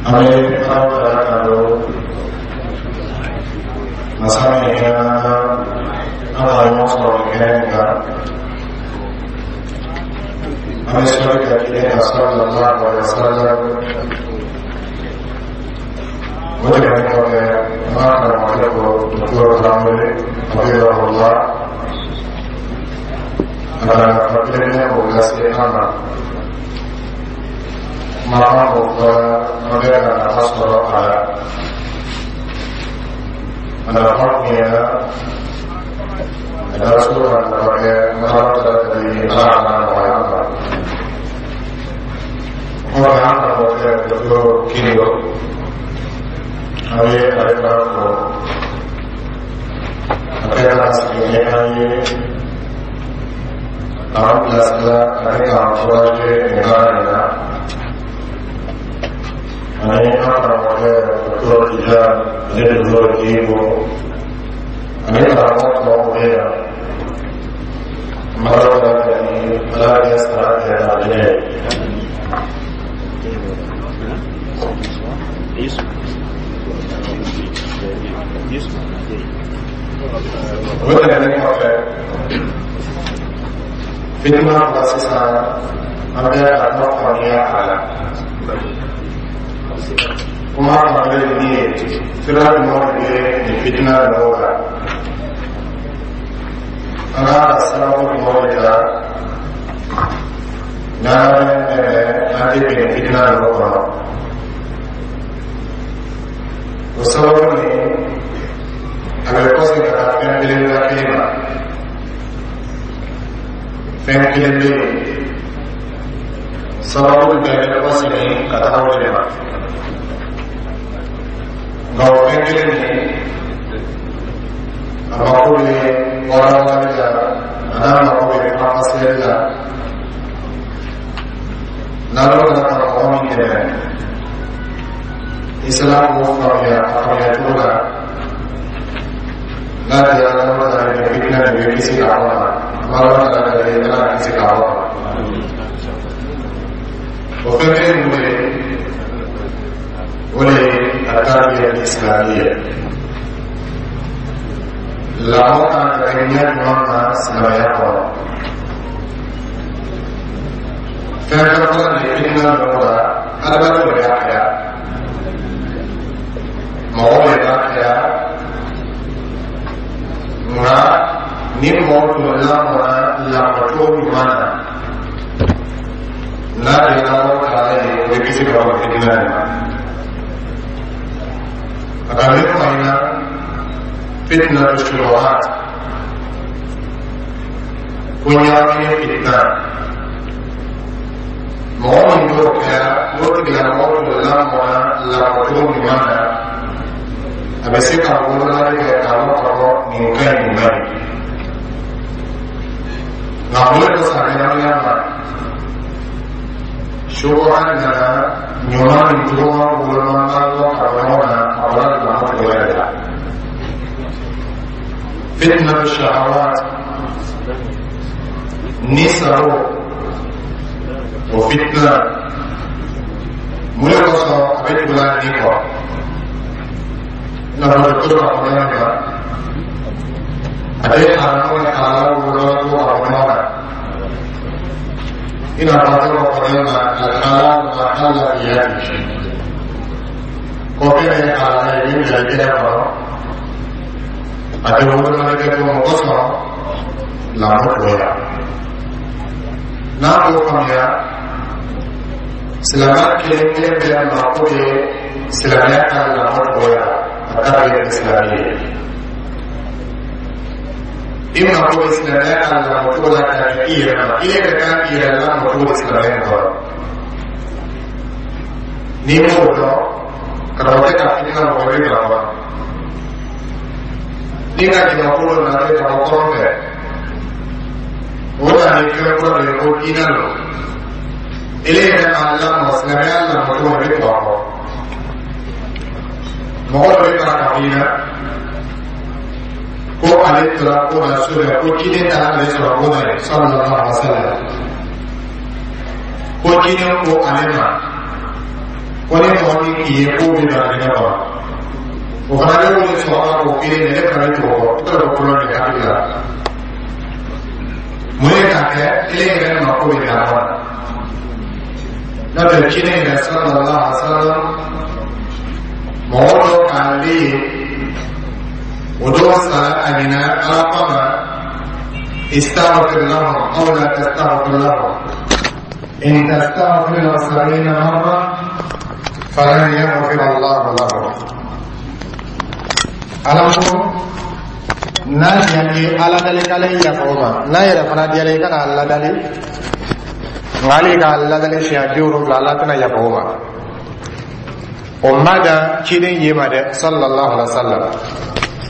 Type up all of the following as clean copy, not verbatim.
An bɛ Ala taala tando, masa min hinɛ na an ka ɲɔgɔn sɔrɔ nin kɛnɛ nin kan. An bɛ sɔli kɛ ciden kan sallallahu alaihi wa sallam. O tɛmɛnen kɔfɛ, an b'a karamɔgɔkɛ fo, Docteur Tarawele hafizahullah, a ka nafa kelen o lase an ma. Kumakan o fɔra, an bɛ ka nafa sɔrɔ a la. A nafa kun ɲɛna, a daraso ka nafa kɛ. An Ala taala deli, Ala ka nɔgɔya an ma. Kɔfɛ, an karamɔgɔkɛ Docteur Kiriyo, an bɛ ale fana fo, a kɛ ka sigi ni an ye, k'an bilasira ani k'an encourager nin baara in na. Ani an karamɔgɔkɛ Docteur Tijani ani Docteur Jibo ani karamɔgɔ tɔw bɛ yan, an b'a Ala deli, Ala kɛ sara kɛ alijinɛ ye. O tɛmɛnen kɔfɛ, fitina fila sisan, an bɛ ka kuma faamuya a la. Kuma faamuyali ye min ye, sira jumɛn de bɛ nin fitina ninnu la? An kan ka sababu jumɛn de ta n'an bɛ dɛmɛ an tɛ bin fitina ninnu kɔnɔ? O sababu nin, a bɛ kɔsegin ka taa fɛn belebeleba kelen ma. Fɛn kelen bɛ yen, sababu bɛɛ bɛ kɔsegin ka taga o de ma. Nka o fɛn kelen nin, a mako bɛ walawalali la, a n'a mako bɛ faranfasiyali la. N'Ala nana ka mɔgɔ min dɛmɛ, i sera k'o faamuya a faamuya cogo la, n'a diyara Ala taala ye, fitina nin bɛ kisi ka bɔ a ma. An b'a Ala taala deli, Ala ka kisi ka bɔ a ma. O fɛn kelen mun de ye? O de ye at-tarbiya islamiyya. Lamɔ kan ka kɛ ɲɛ jumɛn na silamɛya kɔnɔ? Fɛn fɛn fɔlɔ de ye fitina ninnu la, adamadenw de b'a kɛ, mɔgɔw de b'a kɛ. Nka ni mɔgɔ tun lamɔna lamɔcogo ɲuman na, n'a diyara Ala taala ye, o bɛ kisi ka bɔ fitina nin ma. A ka min fɔ an ɲɛna, fitna shubuhat, ko ɲagamini fitina, mɔgɔ min t'o kɛra, n'o tigilamɔgɔ tun lamɔna lamɔcogo ɲuman na, a bɛ se ka wolomali kɛ k'a dɔn k'a fɔ nin ka ɲi, nin man ɲi. Nka mun de ko ɲagamina ma? Subuha nana, ɲuman ni juguman woloma lɔ ka bɔ ɲɔgɔn na, a bɔra lamɔ cogoya de la. Fitna shahawat ni saro, o fitna, mun de kosɔn a bɛ tugula nin kɔ? I n'a fɔ docteur b'a fɔ ɲɔgɔn ma, a tɛ haramu ni halala woloma to ka bɔ ɲɔgɔn na. I n'a fɔ a tɛ bɔ fɔ ɲɔgɔn ma, alhalal ma halla bi yadi, ko fɛn min ye halala ye min bila i tɛgɛ kɔnɔ, a tɛ wolomali kɛ to. Mun kosɔn? Lamɔ cogoya. N'a m'o faamuya, silamɛ kelen kelen bɛɛ mako bɛ silamɛya ka lamɔ cogoya la, a ka kɛ silamɛ ye. I mako bɛ silamɛya ka lamɔ cogo la ka kɛ i yɛrɛ ma. I yɛrɛ kan k'i yɛrɛ lamɔ cogo di silamɛya in kɔrɔ? N'i m'o dɔn, karamɔgɔkɛ ka fitina mɔgɔ bɛ bila kɔnɔ. Ni ka jamakulu dɔ nana ka bɔ kɔrɔn fɛ, o nana ni fɛn kura dɔ ye ko diinɛ don. Ele yɛrɛ m'a lamɔ silamɛya lamɔ cogo min, i bɛ tugu a kɔ. Mɔgɔ dɔ bɛ fara ka f'i ɲɛna ko ale tora ko na so fɛ, ko ciden taara ale sɔrɔ ko na ye sallallahu alaihi wa sallam, ko ciden ko ale ma ko ni mɔgɔ Mɔgɔ min k'i ye k'o bɛ don alijinɛ kɔnɔ, o fana bɛ wuli sɔgɔma k'o kelen de, ne fana bɛ tugu o kɔ. I t'a dɔn ko problème bɛ hakili la. Mun ye k'a kɛ ele yɛrɛ mako bɛ lamɔ la? N'o tɛ, ciden yɛrɛ sallallahu alaihi wa sallam, mɔgɔ dɔ k'ale ye, o dɔw sara a ɲinɛ Ala kama: استغفر لهم أو لا تستغفر لهم، إن تستغفر لهم 70 مرة فلن يغفر الله لهم. Ala ko n'a diyara ye, Ala dali k'ale yafa o ma. N'a yɛrɛ fana diyara i kana ladali, nka hali k'a ladali siɲɛ 70, Ala tɛna yafa o ma. O ma dan ciden ye ma dɛ, sallallahu alaihi wa sallam.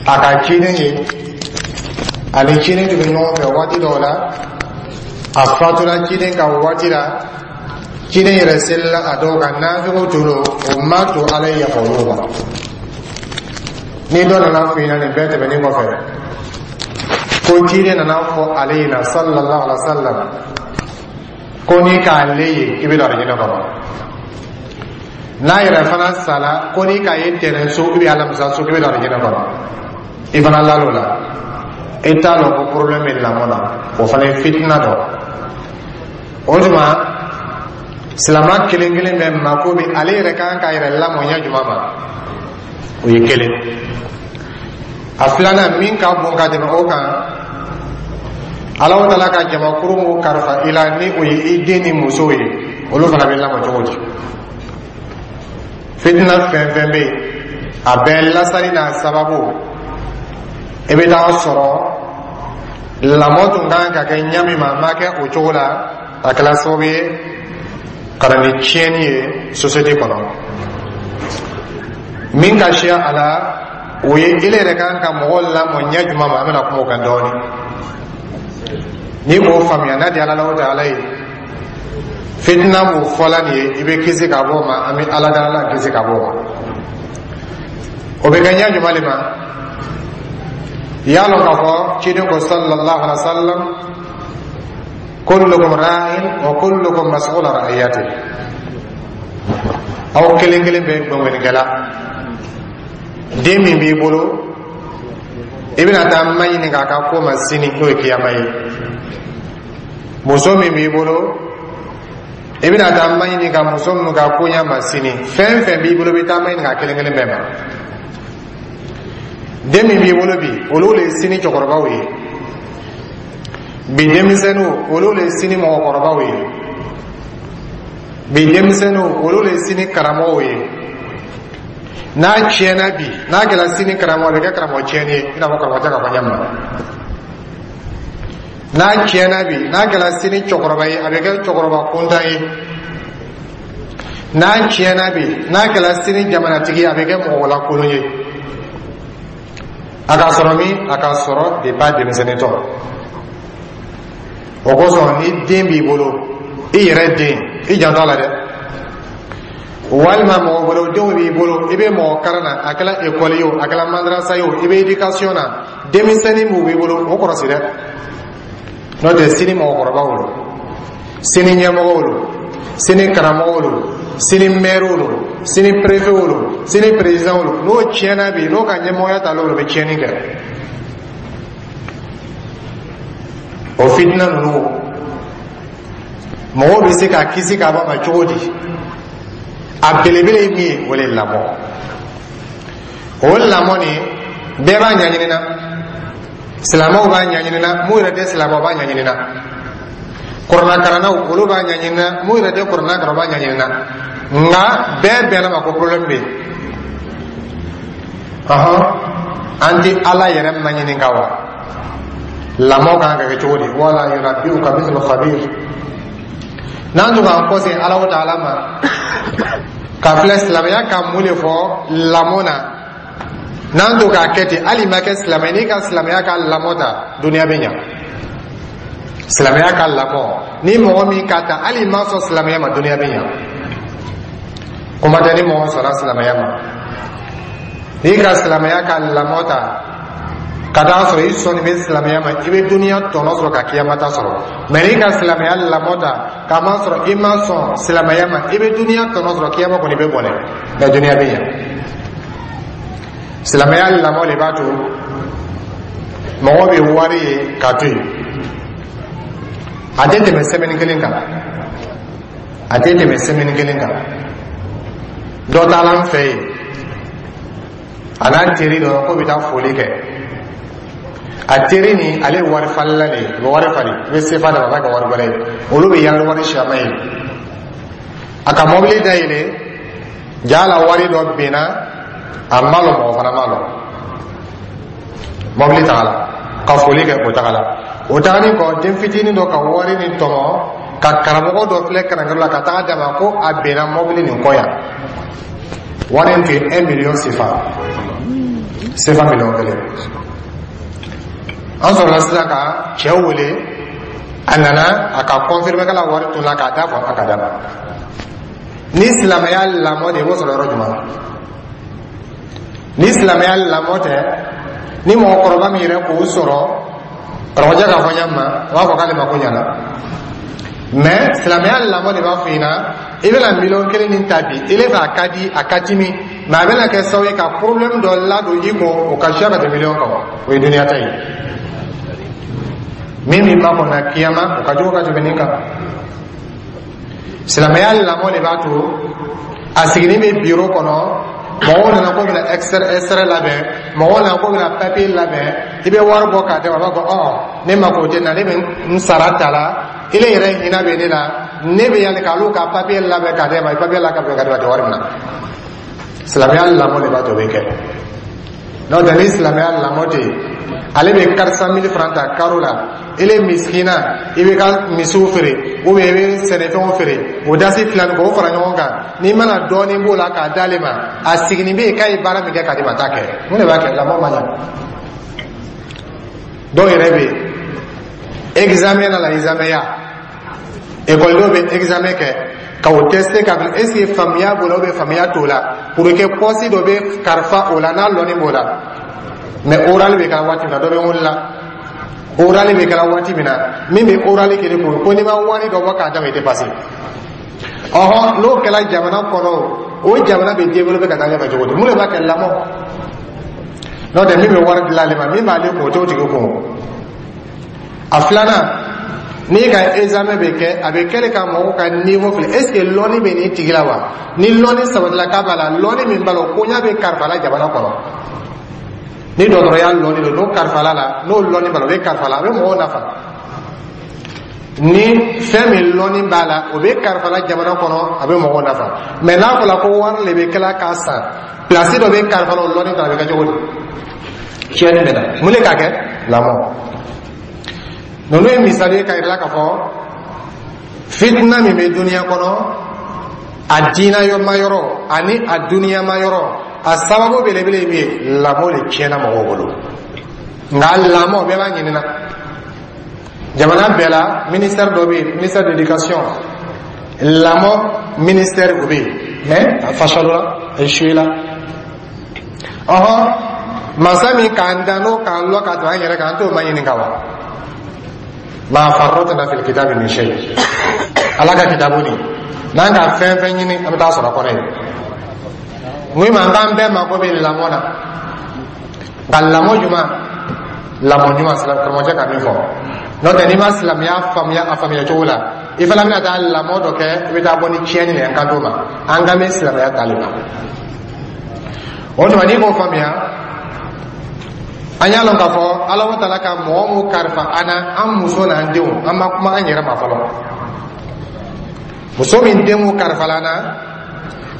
A ka ciden ye, ani ciden tun bɛ ɲɔgɔn fɛ waati dɔw la. A fatura ciden ka waati la, ciden yɛrɛ selila a dɔw kan, nafigiw tun don. O ma to Ala ye yafa olu ma. Ni dɔ nana fɔ i ɲɛna nin bɛɛ tɛmɛnen kɔfɛ ko ciden nana fɔ ale ɲɛna, sallallahu alaihi wa sallam, ko n'i k'ale ye k'i bɛ don alijinɛ kɔnɔ, n'a yɛrɛ fana sala ko n'i k'a ye tɛnɛn so i bɛ alamisa so k'i bɛ don alijinɛ kɔnɔ, i fana lal'o la, i t'a lɔn ko problème bɛ lamɔ la. O fana ye fitina dɔ. O tuma, silama kelen kelen bɛ mako bɛ ale yɛrɛ kan k'a yɛrɛ lamɔ ɲɛ jumɛn ma? O ye kelen. A filanan min ka bon ka tɛmɛ o kan, Alahu Taala ka jamakuru mun kalifa i la, ni o ye i den ni muso ye, olu fana bɛ lamɔ cogo di? Fitina fɛn fɛn bɛ yen, a bɛɛ lasali n'a sababu, i bɛ taa sɔrɔ lamɔ tun kan ka kɛ ɲa min ma, a ma kɛ o cogo la. A kɛra sababu ye ka na ni tiɲɛni ye société kɔnɔ. Min ka siya a la, o ye ele yɛrɛ kan ka mɔgɔ lamɔ ɲɛ jumɛn ma? An bɛna kuma o kan dɔɔnin. N'i k'o faamuya, n'a di Ala la, o tɛ Ala ye fitina mun fɔla nin ye, i bɛ kisi ka bɔ o ma. An bɛ Ala dala la kisi ka bɔ o ma. O bɛ kɛ ɲɛ jumɛn de ma? Y'a lɔn k'a fɔ ciden ko, sallallahu alaihi wa sallam: kullukum ra'in wa kullukum mas'ul an ra'iyati. Aw kelen kelen bɛ gbɛngbɛnnikɛla. Den min b'i bolo, i bɛna taa ma ɲini k'a ka ko ma sini, n'o ye kiyama ye. Muso min b'i bolo, i bɛna taa ma ɲini ka muso min ka ko ɲɛ ma sini. Fɛn fɛn b'i bolo, i bɛ taa ma ɲini ka kelen kelen bɛɛ ma. Den min b'i bolo bi, olu le ye sini cɛkɔrɔbaw ye. Bi denmisɛnninw, olu le ye sini mɔgɔkɔrɔbaw ye. Bi denmisɛnninw, olu le ye sini karamɔgɔw ye. N'a tiɲɛna bi, n'a kɛra sini karamɔgɔ, a bɛ kɛ karamɔgɔ tiɲɛni ye, i n'a fɔ karamɔgɔ tɛ ka fɔ ɲɛ ma. N'a tiɲɛna bi, n'a kɛra sini cɛkɔrɔba ye, a bɛ kɛ cɛkɔrɔba kuntan ye. N'a tiɲɛna bi, n'a kɛra sini jamanatigi ye, a bɛ kɛ mɔgɔ lakolon ye. A ka sɔrɔ min? A ka sɔrɔ depuis a denmisɛnnin tɔ. O kosɔn, ni den b'i bolo, i yɛrɛ den, i janto a la dɛ, walima mɔgɔ wɛrɛw denw b'i bolo, i bɛ mɔgɔ kalan na, a kɛra ekɔli ye o, a kɛra madrasa ye o, i bɛ éducation na, denmisɛnnin m'u b'i bolo, o kɔlɔsi dɛ. N'o tɛ, sini mɔgɔkɔrɔbaw lo, sini ɲɛmɔgɔw lo, sini karamɔgɔw lo, sini mɛriw lo, sini préfetw lo, sini présidentw lo. N'o tiɲɛna bi, n'o ka ɲɛmɔgɔya ta l'o bɛ tiɲɛni kɛ. O fitina ninnu, mɔgɔw bɛ se ka kisi ka bɔ a ma cogo di? A belebele ye min ye, o le ye lamɔ. O lamɔ nin, bɛɛ b'a ɲɛɲini na. Silamɛw b'a ɲɛɲini na, mun yɛrɛ tɛ silamɛw b'a ɲɛɲini na. Kuranakalannaw, olu b'a ɲɛɲini na, mun yɛrɛ tɛ kuranna kalan, b'a ɲɛɲini na. Nka bɛɛ bɛnna ma ko problème bɛ yen. Ɔhɔn, an tɛ Ala yɛrɛ maɲininka wa? Lamɔ kan ka kɛ cogo di? Wala yunabbi'uka mithlu khabir. N'an tun k'an kɔsegin Ala taala ma ka filɛ silamɛya ka mun de fɔ lamɔ na, n'an to k'a kɛ ten, hali ma kɛ silamɛ, n'i ka silamɛya ka lamɔ ta, duniya bɛ ɲa. Silamɛya ka lamɔ, ni mɔgɔ min ka ta, hali ma sɔn silamɛya ma, duniya bɛ ɲa. Kuma tɛ ni mɔgɔ sɔnna silamɛya ma. N'i ka silamɛya ka lamɔ ta. Ka taa sɔrɔ i sɔnni bɛ silamɛya ma, i bɛ duniya tɔnɔ sɔrɔ ka kiyama ta sɔrɔ. Mɛ n'i ka silamɛya lamɔ ta k'a ma sɔrɔ i ma sɔn silamɛya ma, i bɛ duniya tɔnɔ sɔrɔ, kiyama kɔni bɛ bɔnɛ, mɛ duniya bɛ ɲɛ. Silamɛya lamɔ de b'a to mɔgɔ bɛ wari ye k'a to yen, a tɛ tɛmɛ semaine kelen kan, a tɛ tɛmɛ semaine kelen kan. Dɔ taara an fɛ yen, a n'a teri dɔ k'o bɛ taa foli kɛ. A teri nin, ale ye wari falila de ye, a bɛ wari falen, i bɛ sefa d'a ma, a b'a kɛ wari wɛrɛ ye. Olu bɛ yaala wari siyama ye. A ka mɔbili dayɛlɛ, jaa la wari dɔ binna, a ma lɔn, mɔgɔ fana ma lɔn. Mɔbili tagala ka foli kɛ, o tagala. O tagalen kɔ, den fitinin dɔ ka wari nin tɔmɔ ka karamɔgɔ dɔ filɛ karankɛrɔ la ka taga d'a ma ko a binna mɔbili nin kɔ yan. Wari in tun ye 1 million sefa, sefa miliyɔn 1. An sɔrɔla sisan ka cɛw wele, a nana a ka confirmer k'a la wari tunna, k'a da fɔ a ka da ma. Ni silamɛya lamɔ de, i b'o sɔrɔ yɔrɔ jumɛn? Ni silamɛya lamɔ tɛ, ni mɔgɔkɔrɔba min yɛrɛ k'o sɔrɔ, karamɔgɔcɛ k'a fɔ ɲa ma, a b'a fɔ k'ale ma ko ɲana. Mɛ silamɛya lamɔ de b'a fɔ i ɲɛna, i bɛna miliyɔn 1 nin ta bi, ile fɛ a ka di, a ka timi, mɛ a bɛna kɛ sababu ye ka problème dɔ ladon i kun, o ka siya ka tɛmɛ miliyɔn kan. O ye duniya ta ye. Min b'i makɔnɔ kiyama, o ka jugu ka tɛmɛ nin kan. Silamɛya lamɔ de b'a to a sigilen bɛ biro kɔnɔ, mɔgɔw nana ko bɛna extrait labɛn, mɔgɔw nana ko bɛna papier labɛn, i bɛ wari bɔ k'a d'a ma, a b'a fɔ: "Ɔ, ne mako tɛ na, ne bɛ n sara ta la, ile yɛrɛ hinɛ bɛ ne la, ne bɛ yanni k'ale ka papier labɛn k'a d'e ma." Papier la ka bɛn ka d'e ma, tɛ wari minɛ. Silamɛya lamɔ de b'a to o bɛ kɛ. N'o tɛ, ni silamɛya lamɔ tɛ yen, ale bɛ 400 000 francs ta karo la, ele misikina, i bɛ ka misiw feere ou bien i bɛ sɛnɛfɛnw feere, o dasi fila nin k'o fara ɲɔgɔn kan, n'i mana dɔɔnin b'o la k'a d'ale ma, a siginin bɛ yen k'a ye baara min kɛ k'a di ma, a t'a kɛ. Mun de b'a kɛ? Lamɔ ma ɲa. Dɔw yɛrɛ bɛ yen, examen na la, examen ya ekɔlidenw bɛ examen kɛ ka o tester ka bila, est ce que faamuya b'o la ou bien faamuya t'o la, pour que poste dɔ bɛ kalifa o la n'a lɔnni b'o la. Mais oral bɛ kɛ waati min na, dɔ bɛ wuli la, oral bɛ kɛra waati min na, min bɛ oral kɛ ko ko n'i ma wari dɔ bɔ k'a d'a ma, i tɛ passer. Ɔhɔn, n'o kɛra jamana kɔnɔ, o jamana bɛ développer ka taa ɲɛfɛ cogo di? Mun de b'a kɛ? Lamɔ. N'o tɛ, min bɛ wari dilan ale ma, min b'ale kun, o t'o tigi kun. A filanan, n'i ka examen bɛ kɛ, a bɛ kɛ de ka mɔgɔw ka niveau filɛ, est ce que lɔnni bɛ nin tigi la wa? Ni lɔnni sabatila k'a b'a la, lɔnni min b'a la, o koɲa bɛ kalifa la jamana kɔnɔ. Ni dɔgɔtɔrɔya lɔnni don, n'o kalifala la, n'o lɔnni b'a la, o bɛ kalifa la, a bɛ mɔgɔw nafa. Ni fɛn min lɔnni b'a la, o bɛ kalifa la jamana kɔnɔ, a bɛ mɔgɔw nafa. Mɛ n'a fɔra ko wari de bɛ kɛla k'a san, place dɔ bɛ kalifa la, o lɔnni ta, a bɛ kɛ cogo di? Tiɲɛni bɛ na. Mun de k'a kɛ? Lamɔ. Ninnu ye misali ye k'a yira k'a fɔ fitina min bɛ duniya kɔnɔ, a diinɛ ma yɔrɔ ani a duniyama yɔrɔ, a sababu belebele ye min ye, lamɔ de tiɲɛna mɔgɔw bolo. Nka lamɔ bɛɛ b'a ɲinina. Jamana bɛɛ la, ministère dɔ bɛ yen, ministère de l'éducation, lamɔ ministère, o bɛ yen, mais a fasalola, a échoué la. Ɔhɔn, masa min k'an dan, n'o k'an lɔ ka tɛmɛ an yɛrɛ kan, an t'o ma ɲininka wa? Ma farratna fil kitabi min shay. Ala ka kitabu nin, n'an ka fɛn fɛn ɲini, an bɛ taa sɔrɔ a kɔnɔ yen. Mun ma k'an bɛɛ mako bɛ lamɔ na? Nka lamɔ ɲuman, lamɔ ɲuman, karamɔgɔcɛ ka min fɔ, n'o tɛ, n'i ma silamɛya faamuya a faamuya cogo la, i fana bɛna taa lamɔ dɔ kɛ, i bɛ taa bɔ ni tiɲɛni de ye. An kan t'o ma, an kan bɛ silamɛya tali ma. O tuma, n'i k'o faamuya, an y'a lɔn k'a fɔ Ala taala ka mɔgɔ mun kalifa an na, an muso n'an denw, an ma kuma an yɛrɛ ma fɔlɔ. Muso min den mun kalifala an na,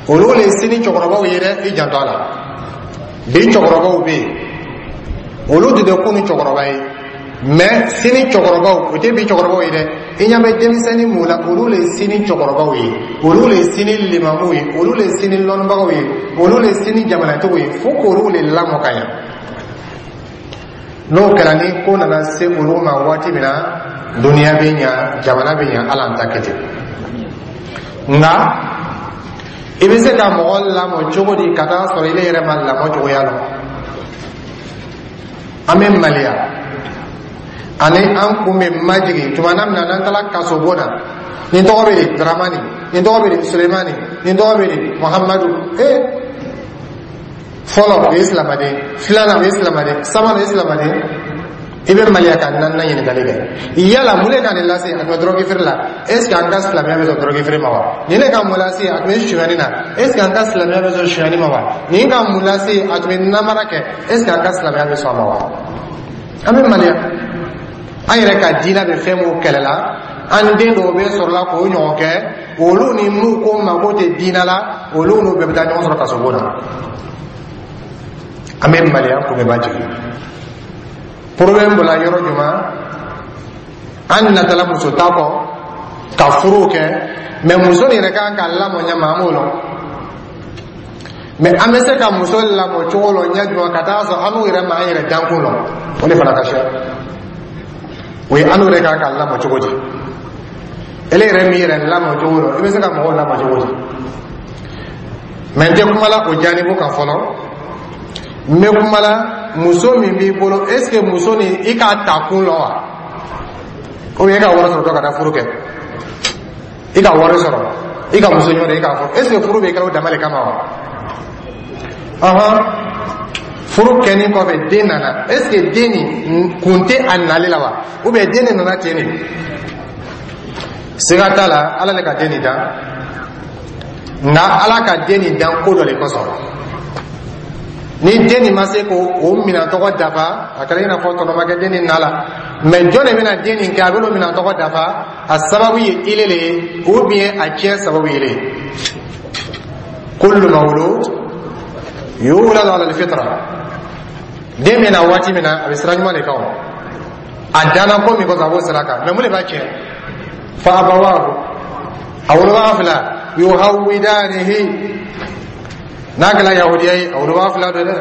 olu le sini cɛkɔrɔbaw ye dɛ. I janto a la, bi cɛkɔrɔbaw bɛ yen, olu de tɛ kunu cɛkɔrɔba ye, mɛ sini cɛkɔrɔbaw, o tɛ bi cɛkɔrɔbaw ye dɛ. I ɲɛ bɛ denmisɛnnin mun la, olu le sini cɛkɔrɔbaw ye, olu le sini limamuw ye, olu le sini lɔnnibagaw ye, olu le sini jamanatigiw ye. Fo k'olu le lamɔ ka ɲa. N'o kɛra, ni ko nana se olu ma waati min na, duniya bɛ ɲa, jamana bɛ ɲa, Ala an ta kɛ ten. Nka i bɛ se ka mɔgɔ lamɔ cogo di ka taa sɔrɔ ile yɛrɛ ma lamɔ cogoya lɔn? An bɛ maliya ani an kun bɛ majigin tuma na min na n'an taara kasobon na. Nin tɔgɔ bɛ di? Dramani. Nin tɔgɔ bɛ di? Sulemani. Nin tɔgɔ bɛ di? Muhamadu. Ee, fɔlɔ, o ye silamaden. Filanan, o ye silamaden. Sabanan, o ye silamaden. I bɛ maliya ka naaninan ɲininkali kɛ: yala mun de ka nin lase? A tun bɛ dɔrɔgi feere la. Est ce que an ka silamɛya bɛ sɔn dɔrɔgi feere ma wa? Nin de ka mun lase? A tun bɛ sonyani na. Est ce que an ka silamɛya bɛ sɔn sonyani ma wa? Nin ka mun lase? A tun bɛ namara kɛ. Est ce que an ka silamɛya bɛ sɔn a ma wa? An bɛ maliya. An yɛrɛ ka diinɛ bɛ fɛn mun kɛlɛ la, an den dɔw bɛ sɔrɔ la k'o ɲɔgɔn kɛ. Olu ni mun ko mako tɛ diinɛ la, olu n'u bɛɛ bɛ taa ɲɔgɔn sɔrɔ kasobon na. An bɛ maliya, kun bɛ jigin. Problème bɔra yɔrɔ jumɛn? An natala muso ta kɔ ka furu kɛ, mɛ muso nin yɛrɛ kan ka lamɔ ɲɛ ma, an b'o lɔn. Mɛ an bɛ se ka muso lamɔ cogo lɔ ɲɛ jumɛn ka taa sɔrɔ an n'u yɛrɛ ma an yɛrɛ dankun lɔ? O de fana ka siya. O ye an n'u yɛrɛ kan ka lamɔ cogo di? Ele yɛrɛ min yɛrɛ lamɔ cogo lɔ, i bɛ se ka mɔgɔw lamɔ cogo di? Mɛ n tɛ kuma la o janibu kan fɔlɔ. N bɛ kuma la muso min b'i bolo. Est ce que muso nin, i k'a ta kun lɔ wa, ou bien i ka wari sɔrɔ dɔ ka taa furu kɛ? I ka wari sɔrɔ, i ka muso ɲɔgɔn, i k'a fɔ, est ce que furu bɛ kɛ o dama de kama wa? Ɔhɔn, furu kɛni kɔfɛ, den nana. Est ce que den nin kun tɛ a nali la wa, ou bien den de nana ten de? Siga t'a la, Ala le ka den nin dan. Nka Ala ka den nin dan ko dɔ de kosɔn. Ni den nin ma se k'o o minɛn tɔgɔ dafa, a kɛra i n'a fɔ tɔnɔ ma kɛ den nin na la. Mɛ jɔn de bɛna den nin kɛ a bɛn'o minɛn tɔgɔ dafa? A sababu ye ile le ye, ou bien a tiɲɛ sababu ye ile ye. Kullu mawlud yuladu ala alfitra. Den bɛ na waati min na, a bɛ sira ɲuman de kan. O a danna ko min kosɔn, a b'o sira kan. Mɛ mun de b'a tiɲɛ? Fa abawahu, a wolobaga fila, yuhawidanihi, n'a kɛra yahudiya ye, a wolobaga fila don dɛ,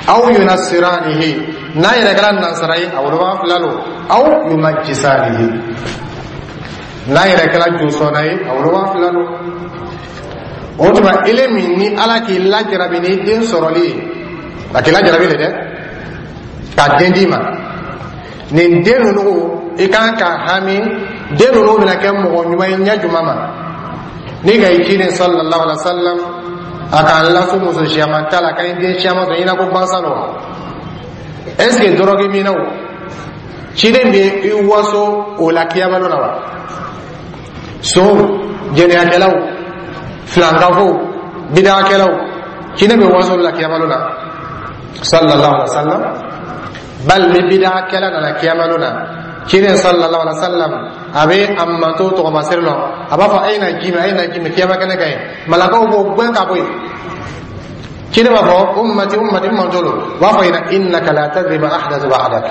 aw yunasiranihi, n'a yɛrɛ kɛra nansara ye, a wolobaga fila don, aw yumajisanihi, n'a yɛrɛ kɛra josɔnna ye, a wolobaga fila don. O tuma, ele min ni Ala k'i lajarabi ni den sɔrɔli ye, a k'i lajarabi de dɛ ka den d'i ma, nin den ninnu, i kan ka hami den ninnu bɛna kɛ mɔgɔ ɲuman ye ɲɛ jumɛn ma? Ni ka i ciden sallallahu alaihi wa sallam, a k'an laso muso siyaman ta la, k'an den siyaman sɔrɔ, i n'a ko gansan don wa? Est ce que dɔrɔgi minnaw, ciden bɛ i waso o la kiyama na wa? Sonw, jɛnɛyakɛlaw, filankafow, bidakɛlaw, ciden bɛ waso la kiyama na sallallahu alaihi wa sallam? Bal ni bidakɛla nana kiyama na, ciden sallallahu alaihi wa sallam a bɛ a manto tɔgɔmasere lɔ, a b'a fɔ: "A ye na ji min, a ye na ji min." Kiyama kɛnɛ kan yen, malakaw b'o gɛn ka bɔ yen. Ciden b'a fɔ: "Ummati, ummati, n manto lo." U b'a fɔ ɲɛna: "Innaka la tadri ma ahdathu ba'dak."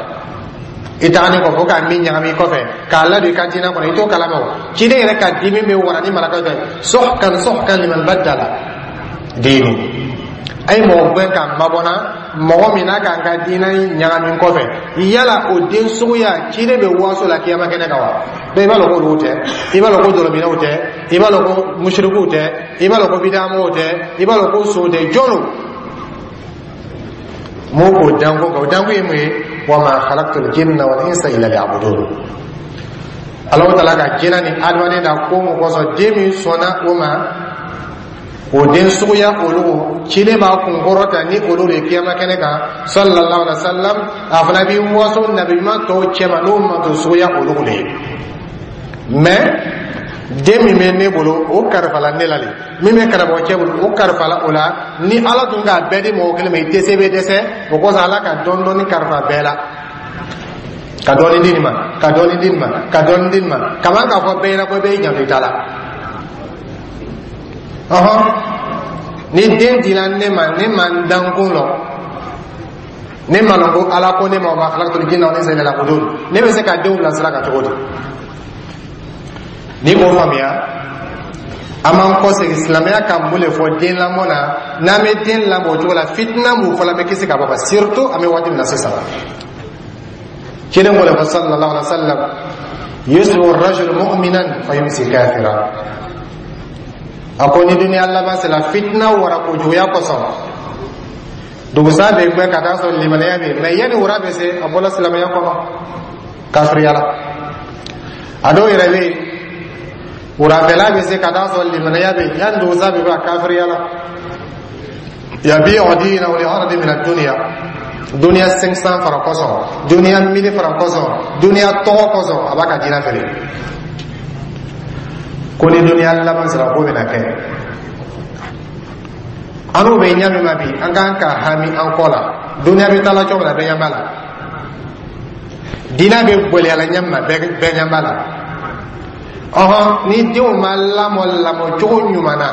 I tagani kɔfɛ, o ka min ɲagami kɔfɛ k'a ladon i ka diinɛ kɔnɔ, i t'o kalama. O ciden yɛrɛ ka dimi bɛ wara ni malakaw fɛ: "Suhkan, suhkan liman baddala diini." A ye mɔgɔ gɛn k'a mabɔna mɔgɔ min n'a k'an ka diinɛ ɲagami kɔfɛ. Yala o den suguya, ciden bɛ waso la kiyama kɛnɛ kan wa? Bɛɛ i b'a dɔn ko olu tɛ, i b'a dɔn ko dɔlɔminɛw tɛ, i b'a dɔn ko musirikuw tɛ, i b'a dɔn ko bidamɔgɔw tɛ, i b'a dɔn ko sow tɛ. Jɔn don mun k'o danko kan? O danko ye mun ye? Wa ma khalaqtul jinna wal insa illa liya'budun. Alahu Taala ka jinɛ ni adamaden da ko mun kosɔn? Den min sɔnna o ma, o den suguya, olu ciden b'a kun kɔrɔta ni olu de ye kiyama kɛnɛ kan sallallahu alaihi wa sallam. A fana b'i waso nabi ɲuman tɔw cɛma n'o manto suguya olu de ye. Mɛ den min bɛ ne bolo, o kalifala ne la de. Min bɛ karamɔgɔcɛ bolo, o kalifala o la. Ni Ala tun k'a bɛɛ di mɔgɔ kelen ma, i tɛ se, bɛ dɛsɛ. O kosɔn, Ala ka dɔɔni dɔɔni kalifa bɛɛ la, ka dɔɔni di nin ma, ka dɔɔni di nin ma, ka dɔɔni di nin ma, kaman k'a fɔ bɛɛ ɲɛna ko bɛɛ y'i janto i ta la. Ɔhɔn, ni den dila ne ma, ne ma n dankun lɔ, ne ma lɔn ko Ala ko ne ma: "Wa ma khalaqtul jinna wal insa illa liya'budun", ne bɛ se ka denw bilasira ka cogo di? Ni k'o faamuya, an b'an kɔsegin silamɛya ka mun de fɔ den lamɔ na? N'an bɛ den lamɔ o cogo la, fitina mun fɔlɔ bɛ kisi ka bɔ kan, surtout an bɛ waati min na sisan? Ciden ko le fɔ sallallahu alaihi wa sallam: "Yusbihu rajul mu'minan fa yumsi kafira." A ko ni duniya laban sera, fitina wara kojuguya kosɔn, Dugusa bɛ gbɛ ka taa sɔrɔ limaniya bɛ yen, mɛ yanni wura bɛ se, a bɔla silamɛya kɔnɔ, kafiriya la. A dɔw yɛrɛ bɛ yen, wurafɛla bɛ se ka taa sɔrɔ limaniya bɛ yen, yanni dugusa bɛ bɔ, a kafiriya la. Yabi'u dinahu li aradi min ad-dunya, duniya 500 francs kosɔn, duniya 1000 francs kosɔn, duniya tɔgɔ kosɔn, a b'a ka diinɛ feere. Ko ni duniya laban sera, ko bɛna kɛ. An n'o bɛ ɲɛ min ma bi, an kan ka hami an kɔ la. Duniya bɛ taa la cogo min na, bɛɛ ɲɛ b'a la. Diinɛ bɛ gɛlɛya la ɲɛ min ma, bɛɛ ɲɛ b'a la. Ɔhɔn, ni denw ma lamɔ lamɔ cogo ɲuman na,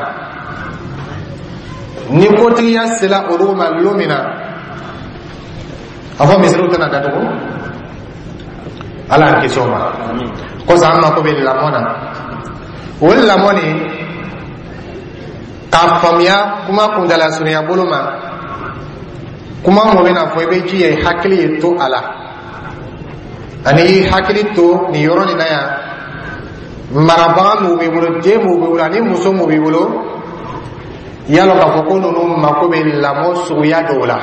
ni kotigiya sera olu ma lon min na, a fɔ misiriw tɛna datugu. Ala y'an kisi o ma. Kosɔn an mako bɛ lamɔ na. O lamɔ nin, k'a faamuya kuma kuntala surunya bolo ma, kuma mun bɛna fɔ, i bɛ jija i hakili ye to a la, ani i hakili to nin yɔrɔ nin na yan. Marabaga mun b'i bolo, den mun b'i bolo, ani muso mun b'i bolo, yalɔ k'a fɔ ko ninnu mako bɛ lamɔ suguya dɔw la.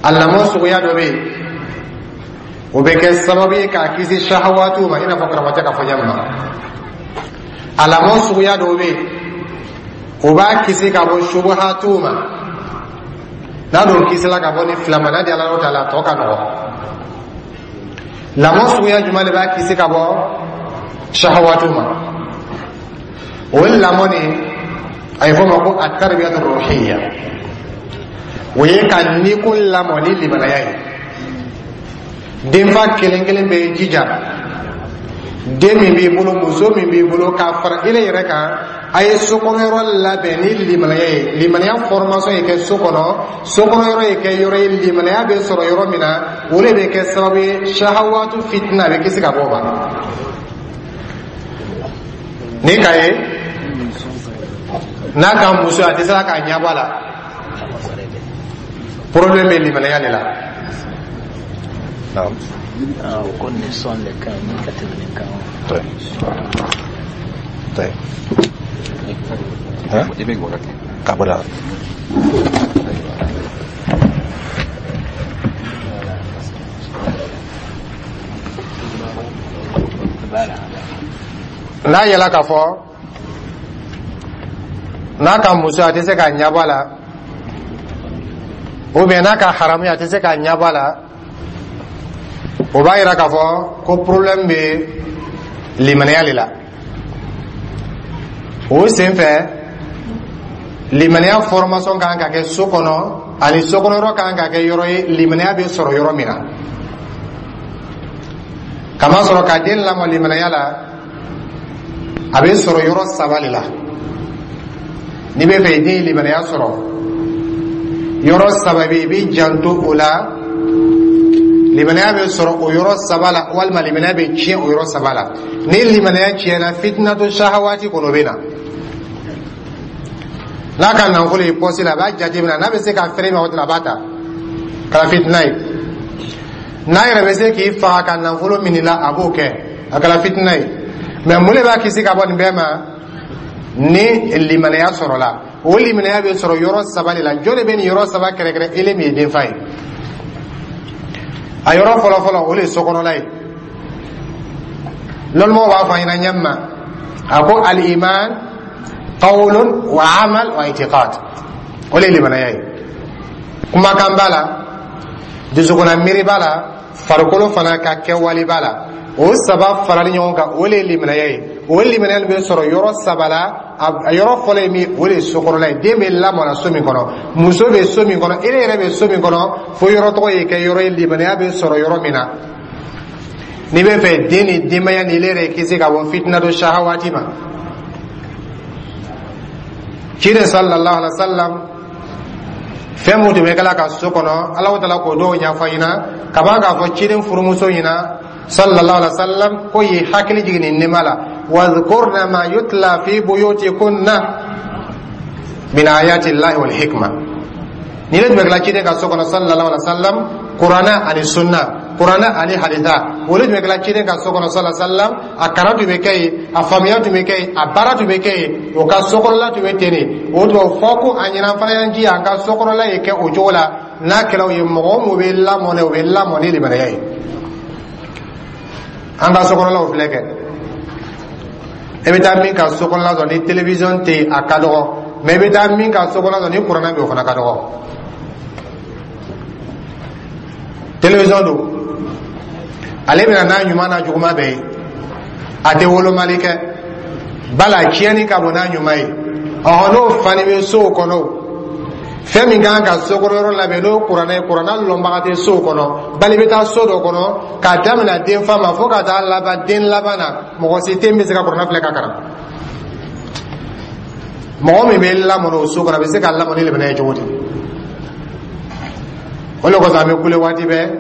A lamɔ suguya dɔ bɛ yen, o bɛ kɛ sababu ye k'a kisi sahawatiw ma, i n'a fɔ karamɔgɔcɛ ka fɔ ɲɛ ma. A lamɔ suguya dɔw bɛ yen, o b'a kisi ka bɔ subuhatiw ma. N'a dun kisila ka bɔ ni fila ma, n'a di Ala ta la, a tɔ ka nɔgɔ. Lamɔ suguya jumɛn de b'a kisi ka bɔ sahawatiw ma? O lamɔ nin, a ye fɔ o ma ko atarbiyatu ruhiyya. O ye ka nikun lamɔ ni limanaya ye. Denfa kelen kelen bɛ jija, den min b'i bolo, muso min b'i bolo, k'a fara ile yɛrɛ kan, a ye sokɔnɔyɔrɔ labɛn ni limanaya ye. Limanaya formation ye kɛ so kɔnɔ, sokɔnɔyɔrɔ ye kɛ yɔrɔ ye limanaya bɛ sɔrɔ yɔrɔ min na. O de bɛ kɛ sababu ye, sahawatu fitina, a bɛ kisi ka bɔ o ma. Ni ka ye n'a ka muso, a tɛ se k'a ɲɛbɔ a la, problème bɛ limanaya de la. O ko nin sɔn de ka ɲi ni ka tɛmɛ nin kan. طيب. ها؟ Ka bɔ da. N'a yɛlɛ k'a fɔ n'a ka muso, a tɛ se k'a ɲɛbɔ a la, ou bien n'a ka haramu, a tɛ se k'a ɲɛbɔ a la, o b'a yira k'a fɔ ko problème bɛ limaniya de la. O sen fɛ, limaniya formation kan ka kɛ so kɔnɔ, ani sokɔnɔ yɔrɔ kan ka kɛ yɔrɔ ye limaniya bɛ sɔrɔ yɔrɔ min na. Kamasɔrɔ ka den lamɔ limaniya la, a bɛ sɔrɔ yɔrɔ saba de la. N'i bɛ fɛ i den ye limaniya sɔrɔ, yɔrɔ saba bɛ yen, i b'i janto o la. Limaniya bɛ sɔrɔ o yɔrɔ saba la, walima limaniya bɛ tiɲɛ o yɔrɔ saba la. Ni limaniya tiɲɛna, fitinatu sahawati kɔnɔ bɛ na. N'a ka nafolo ye pɔsi la, a b'a jateminɛ, n'a bɛ se ka fɛrɛ ma, o a b'a ta kala fitina ye. N'a yɛrɛ bɛ se k'i faga ka nafolo minɛ la, a b'o kɛ, a kɛra fitina ye. Mɛ mun de b'a kisi ka bɔ nin bɛɛ ma? Ni limaniya sɔrɔla, o limaniya bɛ sɔrɔ yɔrɔ saba de la. Jɔn de bɛ nin yɔrɔ saba kɛrɛkɛrɛ? Ele min ye denfa ye. A yɔrɔ fɔlɔfɔlɔ, o de ye sokɔnɔla ye. Lɔnnimaw b'a fɔ an ɲɛna ɲɛ ma, a ko al-iman qawlun wa amal wa itiqad. O de ye limanaya ye. Kumakan b'a la, dusukunna miiri b'a la, farikolo fana ka kɛwale b'a la. O saba farali ɲɔgɔn kan, o de ye limanaya ye. O limanaya bɛ sɔrɔ yɔrɔ saba la. A yɔrɔ fɔlɔ ye min, o de ye sokɔnɔla ye. Den bɛ lamɔna so min kɔnɔ, muso bɛ so min kɔnɔ, e yɛrɛ bɛ so min kɔnɔ, fo yɔrɔ tɔgɔ ye kɛ yɔrɔ ye limanaya bɛ sɔrɔ yɔrɔ min na. N'i bɛ fɛ den ni denbaya ni ile yɛrɛ kisi ka bɔ fitina do sahawati ma, ciden sallallahu alaihi wa sallam, fɛn mun tun bɛ kɛla ka so kɔnɔ, Alahu taala k'o dɔw ɲɛfɔ an ɲɛna ka ban k'a fɔ ciden furumuso ɲɛna sallallahu alaihi wa sallam ko y'i hakili jigin nin nɛɛma la: wadhkurna ma yutla fi buyutikunna min ayati llahi wal hikma. Ni ne tun bɛ kɛla ciden ka so kɔnɔ sallallahu alaihi wa sallam, kuranna ani sunna. kuranɛ ani hadisa o de tun bɛ kɛla ciden ka so kɔnɔ sallallahu alaihi wasallam. A kalan tun bɛ kɛ yen, a faamuya tun bɛ kɛ yen, a baara tun bɛ kɛ yen, o ka sokɔnɔla tun bɛ ten de. O tuma fɔ ko a ɲɛna fana y'an jija an ka sokɔnɔla ye kɛ o cogo la. N'a kɛra o ye, mɔgɔ o mɔgɔ bɛ lamɔ, o bɛ lamɔ ni limaniya ye. An ka sokɔnɔlaw filɛ kɛ, i bɛ taa min ka sokɔnɔla sɔrɔ ni télévision tɛ yen, a ka dɔgɔ, mais i bɛ taa min ka sokɔnɔla sɔrɔ ni kuranɛ bɛ yen, o fana ka dɔgɔ. Télévision don, ale bɛna n'a ɲuman n'a juguman bɛɛ ye, a tɛ wolomali kɛ bala, tiɲɛni ka bon n'a ɲuman ye. Ɔhɔn, n'o fani bɛ sow kɔnɔ, fɛn min kan ka sokɔnɔ yɔrɔ labɛn n'o kuranɛ ye, kuranɛ lɔnbaga tɛ sow kɔnɔ. Bali bɛ taa so dɔ kɔnɔ, k'a daminɛ den fa ma fo ka taa laban den laban na, mɔgɔ si tɛ min bɛ se ka kuranɛ filɛ ka kalan. Mɔgɔ min bɛ lamɔ o so kɔnɔ, a bɛ se ka lamɔ ni limaniya ye cogo di? O de kosɔn an bɛ kule waati bɛɛ,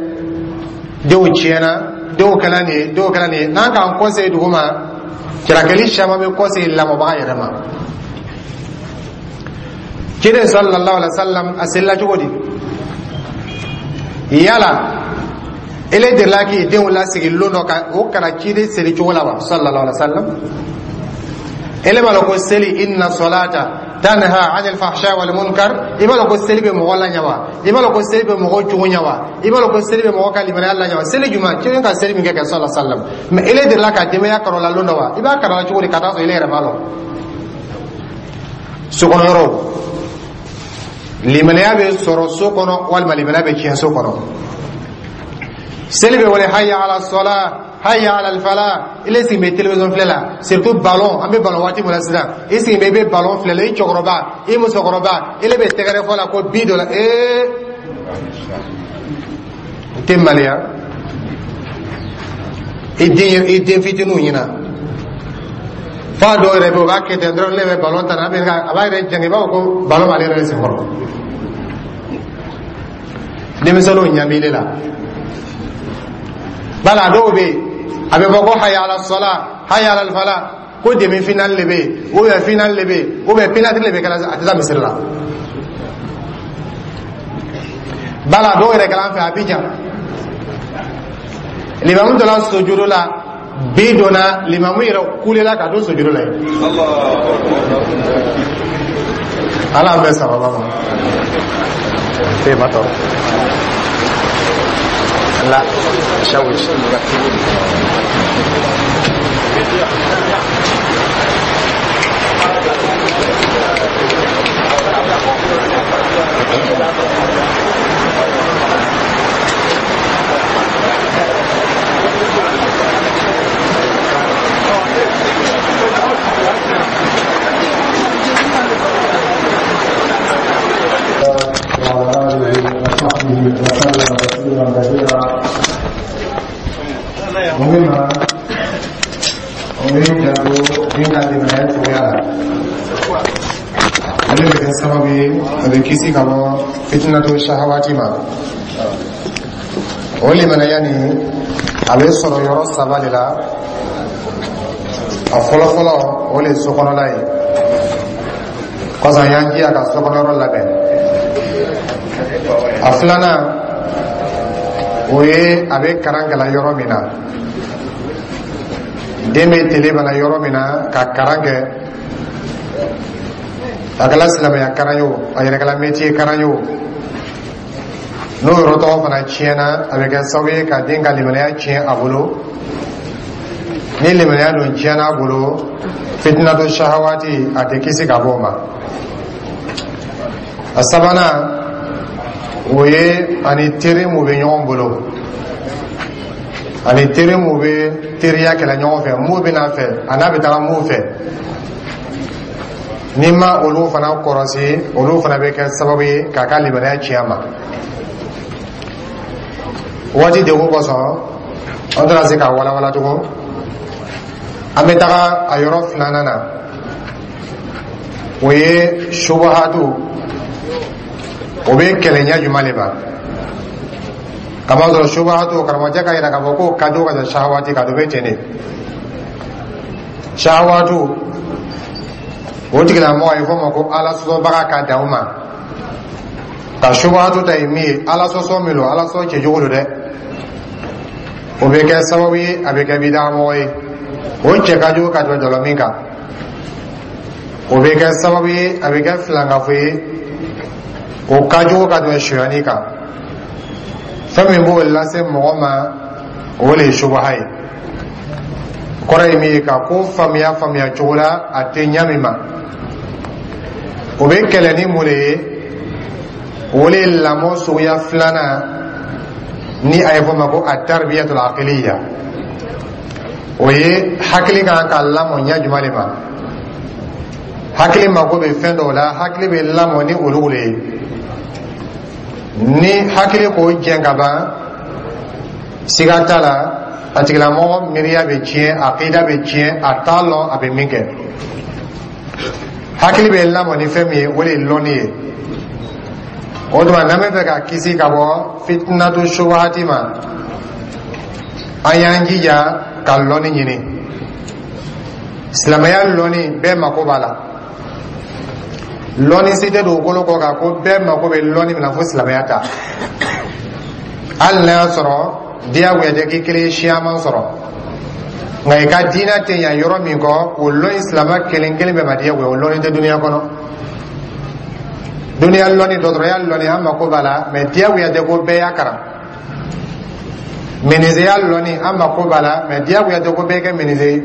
denw tiɲɛna, denw kɛla nin ye, denw kɛla nin ye. N'an k'an kɔsegin dugu ma, jalakili caman bɛ kɔsegin lamɔbaga yɛrɛ ma. Ciden sallallahu alaihi wasallam a selila cogo di? Yala ele delila k'i denw lasigi lon dɔ ka o kana ciden seli cogo la wa? Sallallahu alaihi wasallam, ele b'a lɔn ko seli, inna salata tanha anil fahsha wal munkar. I b'a lɔn ko seli bɛ mɔgɔ laɲa wa? I b'a lɔn ko seli bɛ mɔgɔ jogo ɲa wa? I b'a lɔn ko seli bɛ mɔgɔ ka limaniya laɲa wa? Seli jumɛn ciden ka seli min kɛ sallallahu alaihi wasallam? Mais ele delila ka denbaya kɔrɔ la lon dɔ wa? I b'a kalan cogo di ka taa sɔrɔ ele yɛrɛ b'a lɔn? Sokɔnɔ yɔrɔw, limaniya bɛ sɔrɔ so kɔnɔ walima limaniya bɛ tiɲɛ so kɔnɔ. Seli bɛ wele hayya ala sɔla, hayya ala fala, ile sigi bɛ télévision filɛ la, surtout ballon. An bɛ ballon waati min na sisan, i sigi bɛ, i bɛ ballon filɛ la, i cɛkɔrɔba, i musokɔrɔba, ile bɛ tɛgɛrɛ fɔ la ko bi dɔ la. Ee, n tɛ maloya i den, i den fitininw ɲɛna. Fa dɔw yɛrɛ bɛ yen, o b'a kɛ ten dɔrɔn, ne bɛ ballon ta, a bɛ a b'a yɛrɛ jɛngɛ, i b'a fɔ ko ballon b'ale yɛrɛ sen kɔrɔ. Denmisɛnninw ɲɛ b'i la bala. Dɔw bɛ yen, a bɛ fɔ ko hayya ala sɔla, hayya ala fala, ko demi finale de bɛ yen, ou bien finale de bɛ yen, ou bien penalty de bɛ kɛla, a tɛ taa misiri la. Bala dɔw yɛrɛ kɛla an fɛ Abidjan, limamu donna sojudu la, bi donna, limamu yɛrɛ kulela ka don sojudu la yen. Ala an bɛ sababa ma. Ee, ma tɔɔrɔ la shawish. وعلى آله وصحبه وسلم تسليما كثيرا. مهمة o ye janto den ka limaniya cogoya la, ale bɛ kɛ sababu ye a bɛ kisi ka bɔ fitinatu shahawati ma. O limaniya nin, a bɛ sɔrɔ yɔrɔ saba de la. A fɔlɔfɔlɔ, o le ye sokɔnɔla ye. Kɔsɔn y'an jija ka sokɔnɔ yɔrɔ labɛn. A filanan, o ye a bɛ kalan kɛla yɔrɔ min na, den bɛ tele bana yɔrɔ min na ka kalan kɛ, a kɛla silamɛya kalan ye o, a yɛrɛ kɛla métier kalan ye o, n'o yɔrɔ tɔgɔ fana tiɲɛna, a bɛ kɛ sababu ye ka den ka limaniya tiɲɛ a bolo. Ni limaniya dun tiɲɛna a bolo, fitinatu shahawati, a tɛ kisi ka bɔ o ma. A sabanan, o ye ani teri mun bɛ ɲɔgɔn bolo, ani teri mun bɛ teriya kɛlɛ ɲɔgɔn fɛ, mun bɛ n'a fɛ, a n'a bɛ taga mun fɛ, n'i ma olu fana kɔrɔsi, olu fana bɛ kɛ sababu ye k'a ka limaniya tiɲɛ a ma. Waati degun kosɔn, an tɛna se k'a walawala tugun. An bɛ taga a yɔrɔ filanan na, o ye subahatu. O bɛ kɛlɛ ɲɛ jumɛn de ma? Kamasɔrɔ subahatu, karamɔgɔcɛ ka yira k'a fɔ k'o ka jugu ka tɛmɛ shahawati kan, o bɛ ten de. Shahawatu, o tigilamɔgɔ a ye fɔ o ma ko ala sɔsɔbaga ka dan o ma. Ka subahatu ta ye min ye, ala sɔsɔ min don, ala sɔsɔ cɛjugu don dɛ. O bɛ kɛ sababu ye, a bɛ kɛ bidamɔgɔ ye. O cɛ ka jugu ka tɛmɛ dɔlɔmin kan. O bɛ kɛ sababu ye, a bɛ kɛ filankafo ye. O ka jugu ka tɛmɛ sonyani kan. Fɛn min b'o lase mɔgɔ ma, o de ye subaha ye. Kɔrɔ ye min ye, ka ko faamuya faamuya cogo la a tɛ ɲa min ma. O bɛ kɛlɛ ni mun de ye? O de ye lamɔ suguya filanan ni a ye fɔ ma ko a tarbiyatul aqliya. O ye hakili kan ka lamɔ ɲɛ jumɛn de ma? Hakili mako bɛ fɛn dɔw la, hakili bɛ lamɔ ni olu de ye. Ni hakili k'o jɛn ka ban, siga t'a la, a tigilamɔgɔ miiriya bɛ tiɲɛ, akida bɛ tiɲɛ, a t'a lɔn a bɛ min kɛ. Hakili bɛ lamɔ ni fɛn min ye, o de ye lɔnni ye. O tuma, n'an bɛ fɛ ka kisi ka bɔ fitinatu subahati ma, an y'an jija ka lɔnni ɲini. Silamɛya lɔnni, bɛɛ mako b'a la. Lɔnni si tɛ dugukolo kɔ kan ko bɛɛ mako bɛ lɔnni min na fo silamɛya ta. Hali n'a y'a sɔrɔ diyagoya tɛ k'i kelen ye siyaman sɔrɔ, nka i ka diinɛ tɛ ɲa yɔrɔ min kɔ, o lɔnni silamɛ kelen kelen bɛɛ ma diyagoya. O lɔnni tɛ duniya kɔnɔ. Duniya lɔnni, dɔgɔtɔrɔya lɔnni, an mako b'a la, mɛ diyagoya tɛ ko bɛɛ y'a kalan. Menuisier lɔnni, an mako b'a la, mɛ diyagoya tɛ ko bɛɛ kɛ menuisier ye.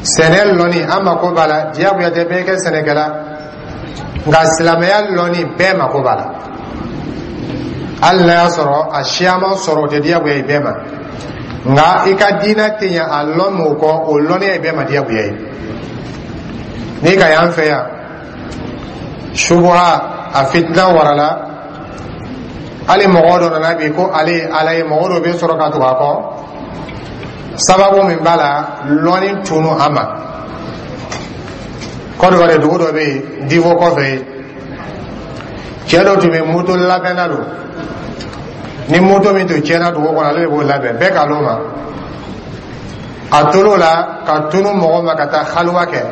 Sɛnɛ lɔnni, an mako b'a la, diyagoya tɛ bɛɛ kɛ sɛnɛkɛla. Nka silamɛya lɔnni, bɛɛ mako b'a la. Hali n'a y'a sɔrɔ a siyaman sɔrɔ, o tɛ diyagoya ye bɛɛ ma, nka i ka diinɛ tɛ ɲɛ a lɔn m'o kɔ, o lɔnniya ye bɛɛ ma diyagoya ye. N'i ka y'an fɛ yan, subuha a fitina warala. Hali mɔgɔ dɔ nana bi ko ale ye Ala ye, mɔgɔ dɔ bɛ sɔrɔ ka tugu a kɔ. Sababu min b'a la, lɔnni tunu a ma. Kɔdiwari dugu dɔ bɛ yen, Divo kɔfɛ yen, cɛ dɔ tun bɛ moto labɛnna don. Ni moto min tun tiɲɛna dugu kɔnɔ, ale de b'o labɛn. Bɛɛ k'a l'o ma. A tor'o la ka tunu mɔgɔ ma, ka taa haluwa kɛ,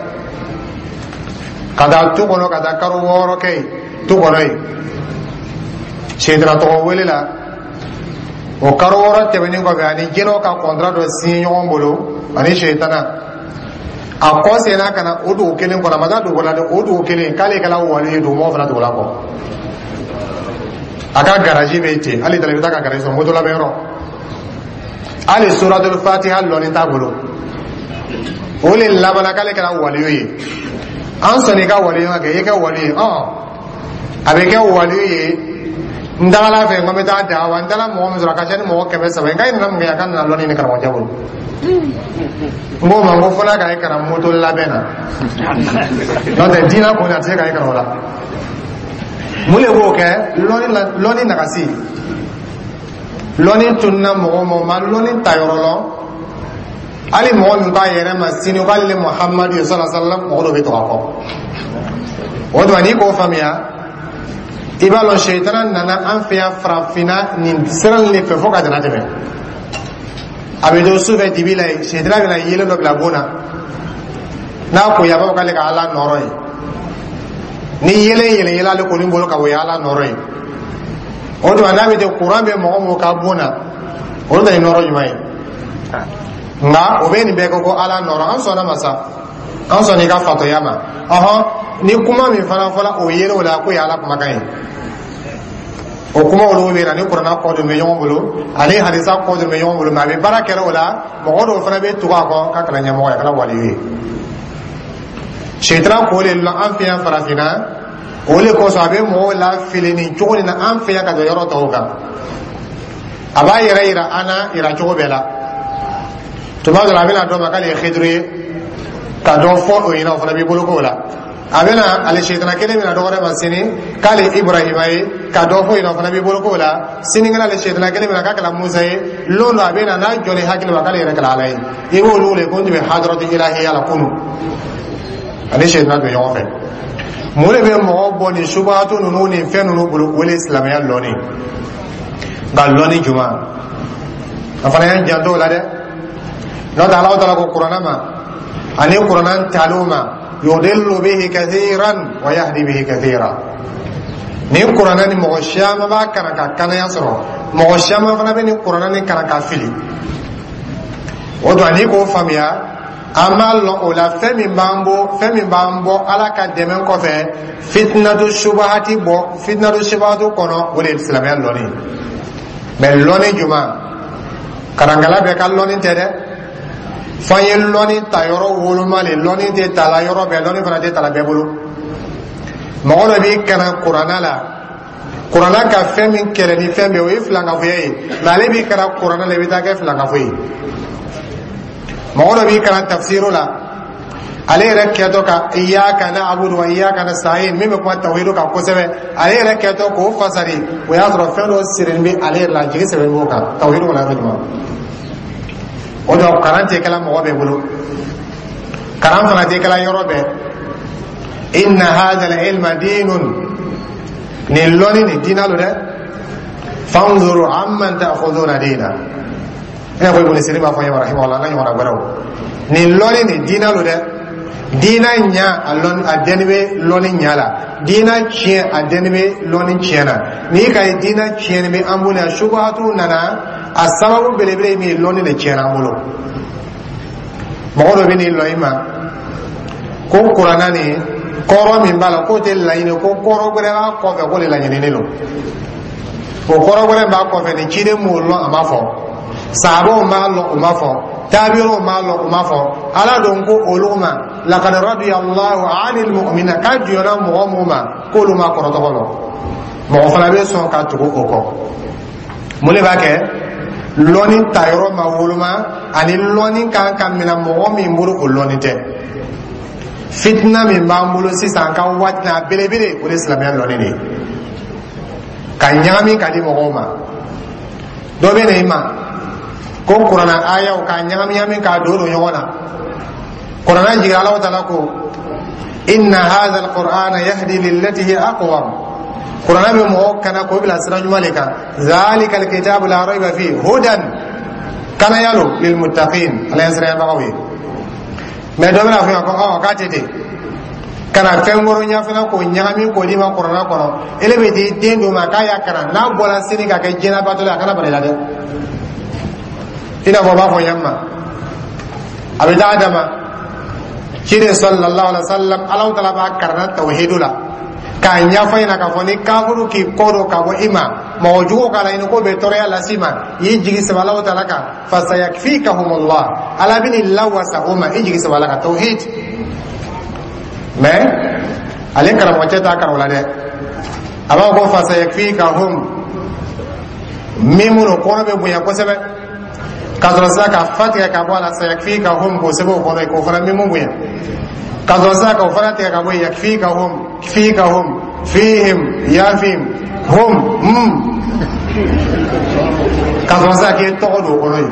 ka taa tu kɔnɔ, ka taa karo 6 kɛ yen tu kɔnɔ yen, sitana tɔgɔ wele la. O karo 6 tɛmɛnen kɔfɛ, ani jinɛw ka kɔntara dɔ signé ɲɔgɔn bolo ani sitana, a kɔ senna ka na o dugu kelen kɔnɔ. A ma taa dugu la dɛ, o dugu kelen, k'ale kɛla wali ye. Dugumɔgɔw fana tugula kɔ. A ka garaji bɛ ten hali dala, i bɛ taa ka garaji sɔrɔ moto labɛn yɔrɔ. Hali suratul Fatiha lɔnni t'a bolo. O le labanna k'ale kɛra waliyu ye. An sɔnni i ka waliyu ka kɛ, i kɛ waliyu ye. A bɛ kɛ waliyu ye. N tagala fɛ, n ko n bɛ taa da wa, n taara mɔgɔ min sɔrɔ, a ka ca ni mɔgɔ 300 ye. N k'a nana mun kɛ? A ka nana lɔnni ni karamɔgɔcɛ bolo. N k'o ma, n ko fo n'a ka ye kalan moto labɛn na, n'o tɛ diinɛ kɔni, a tɛ se ka ye kalan o la. Mun de b'o kɛ? Lɔnni la, lɔnni nagasi. Lɔnni tununa mɔgɔ ma, o ma lɔnni ta yɔrɔ lɔn. Hali mɔgɔ min k'a yɛrɛ ma sini k'ale ni Muhamadu ye sɔlɔ sallam, mɔgɔ dɔ bɛ tugu a kɔ. O tuma, n'i k'o faamuya, i b'a lɔn sɛyitana nana an fɛ yan farafinna nin sira nin de fɛ fo ka tɛmɛ tɛmɛ. A bɛ to sufɛ dibi la yen, sɛyitana bɛna yeelen dɔ bila bon na. N'a ko a b'a fɔ k'ale ka Ala nɔrɔ ye. Ni yeelen yɛlɛ yɛlɛ ale kɔni bolo ka o ye Ala nɔrɔ ye. O tuma, n'a bɛ ten, kuran bɛ mɔgɔ mɔgɔ ka bon na, olu ta ye nɔrɔ jumɛn ye? Nka o bɛ nin bɛɛ kɛ ko Ala nɔrɔ. An sɔnna ma sa, an sɔnna i ka fatɔya ma. Ɔhɔn, ni kuma min fana fɔla o yelen o la k'o ye Ala kumakan ye, o kuma olu bɛ na ni kuranna kɔ dun bɛ ɲɔgɔn bolo ani hadisa kɔ dun bɛ ɲɔgɔn bolo, mɛ a bɛ baara kɛra o la, mɔgɔ dɔw fana bɛ tugu a kɔ k'a kɛra ɲɛmɔgɔ ye, a kɛra waliyu ye. Sitana k'o de lɔn an fɛ yan farafinna. O de kosɔn a bɛ mɔgɔw lafili nin cogo nin na an fɛ yan ka tɛmɛ yɔrɔ tɔw kan. A b'a yɛrɛ yira an na yira cogo bɛɛ la. Tuma dɔ la, a bɛna dɔ ma k'ale ye Xidiri ye, ka dɔ fɔ o ɲɛna, o fana b'i bolo k'o la. A bɛna ale sitana kelen bɛna dɔ wɛrɛ ma sini k'ale Iburahima ye, ka dɔ fɔ yen, o fana b'i bolo k'o la. Sinikɛnɛ, ale sitana kelen bɛna k'a kɛra Musa ye. Lon dɔ, a bɛna n'a jɔnni hakili ma k'ale yɛrɛ kɛra Ala ye. I b'olu wele ko n tun bɛ hadaratu ilahiya la kunu, ani sitana tun bɛ ɲɔgɔn fɛ. Mun de bɛ mɔgɔ bɔ nin subahatu ninnu ni fɛn ninnu bolo? O de ye silamɛya lɔnni. Nka lɔnni juma, a fana y'an janto o la dɛ. N'o tɛ, Alahu taala ko kuranna ma ani kuranna taliw ma: yudillu bihi kathiran wa yahdi bihi kathira. Ni kuranna ni mɔgɔ caman b'a kalan ka kanaya sɔrɔ. Mɔgɔ caman fana bɛ nin kuranna nin kalan ka fili. O don n'i k'o faamuya, an b'a lɔn o la fɛn min b'an bɔ, fɛn min b'an bɔ Ala ka dɛmɛ kɔfɛ, fitinatu subahati bɔ fitinatu subahati kɔnɔ, o de ye silamɛya lɔnni. Mɛ lɔnni jumɛn? Karankala bɛɛ ka lɔnni tɛ dɛ. F'an ye lɔnni ta yɔrɔ woloma le. Lɔnni tɛ ta la yɔrɔ bɛɛ, lɔnni fana tɛ ta la bɛɛ bolo. Mɔgɔ dɔ b'i kalan kuranna la, kuranna ka fɛn min kɛlɛ ni fɛn bɛɛ, o ye filankafoya ye, mɛ ale b'i kalan kuranna la, i bɛ taa kɛ filankafo ye. Mɔgɔ dɔ b'i kalan tafsiru la, ale yɛrɛ kɛtɔ ka iyyaka na'budu wa iyyaka nasta'in min bɛ kuma tawhidu kan kosɛbɛ, ale yɛrɛ kɛtɔ k'o fasari, o y'a sɔrɔ fɛn dɔ sirilen bɛ ale yɛrɛ la, jigi sɛbɛn b'o kan tawhidu kɔnɔ yɔrɔ jumɛn. O dɔn kalan tɛ kɛla mɔgɔ bɛɛ bolo, kalan fana tɛ kɛla yɔrɔ bɛɛ. Inna hadha al-ilma dinun, nin lɔnni nin diina lo dɛ. Fanzuru amman ta'khuduna dina, i n'a fɔ Ibn Sirin b'a fɔ n ye rahimahullah, n'a ɲɔgɔnna wɛrɛw. Nin lɔnni nin diina lo dɛ. Diina ɲa, a lɔnni a dɛnni bɛ lɔnni ɲa la. Diina tiɲɛ, a dɛnni bɛ lɔnni tiɲɛ na. N'i ka ye diina tiɲɛni bɛ an bolo yan, subahatu nana, a sababu belebele ye min ye, lɔnni de tiɲɛna an bolo. Mɔgɔ dɔ bɛ n'i lɔ i ma ko kuranna nin kɔrɔ min b'a la, k'o tɛ laɲini, ko kɔrɔ wɛrɛ b'a kɔfɛ, k'o de laɲininen don. O kɔrɔ wɛrɛ b'a kɔfɛ nin, ciden m'o lɔn, a ma fɔ. Sahabaw m'a lɔn, o ma fɔ. Tabi'u m'a lɔn, o ma fɔ. Ala don ko olu ma laqad radiya Allahu 'anil mu'minina, k'a jɔnna mɔgɔ mun ma, k'olu ma kɔrɔ tɔgɔ lɔn. Mɔgɔ fana bɛ sɔn ka tugu o kɔ. Mun de b'a kɛ? Lɔnni ta yɔrɔ ma woloma, ani lɔnni kan ka minɛ mɔgɔ min bolo, o lɔnni tɛ. Fitina min b'an bolo sisan ka waati na belebele, o de ye silamɛya lɔnni de ye ka ɲagami ka di mɔgɔw ma. Dɔ bɛ na i ma ko kuranna ayaw k'a ɲagami ɲagami k'a don don ɲɔgɔn na. Kuranna jigin, Alahu taala ko inna hadha alqur'ana yahdi lillati hiya aqwam, kuranna bɛ mɔgɔw kana k'o bila sira ɲuman de kan. Zalika alkitabu la rayba fi hudan, kanaya lo, lilmuttaqin, Ala ɲɛsiranyabagaw ye. Mɛ dɔ bɛna fɔ ko ɔ k'a tɛ ten, ka na fɛn wɛrɛ ɲɛfɛla k'o ɲagami k'o d'i ma kuranna kɔnɔ. Ele bɛ t'i den d'o ma k'a y'a kalan, n'a bɔra sini ka kɛ jɛnabatɔ ye, a kana bala i la dɛ. I n'a fɔ o b'a fɔ ɲɛ ma, a bɛ taa dama ciden sallallahu alaihi wa sallam, Alahu taala b'a karanna tawhidu la k'a ɲɛfɔ ɲɛna k'a fɔ ni kafuru k'i kɔ don ka bɔ i ma, mɔgɔ jugu k'a laɲini k'o bɛ tɔɔrɔya las'i ma, i y'i jigi sɛbɛ Alahu taala kan, fasayakfikahumullah, Ala bɛ n'i lawasa o ma, i jigi sɛbɛ Ala kan, tawhid. Mɛ ale karamɔgɔcɛ t'a kalan o la dɛ. A b'a fɔ ko fasayakfikahum min minnu kɔnɔ bɛ bonya kosɛbɛ, ka sɔrɔ sisan ka fa tigɛ ka bɔ a la, sayakfikahum, k'o sɛbɛn o kɔnɔ, k'o fana min bonya, ka sɔrɔ sisan k'o fana tigɛ ka bɔ yen, yakfikahum, fikahum, fihim, yafim, hum, ka sɔrɔ sisan k'e tɔgɔ don o kɔnɔ yen,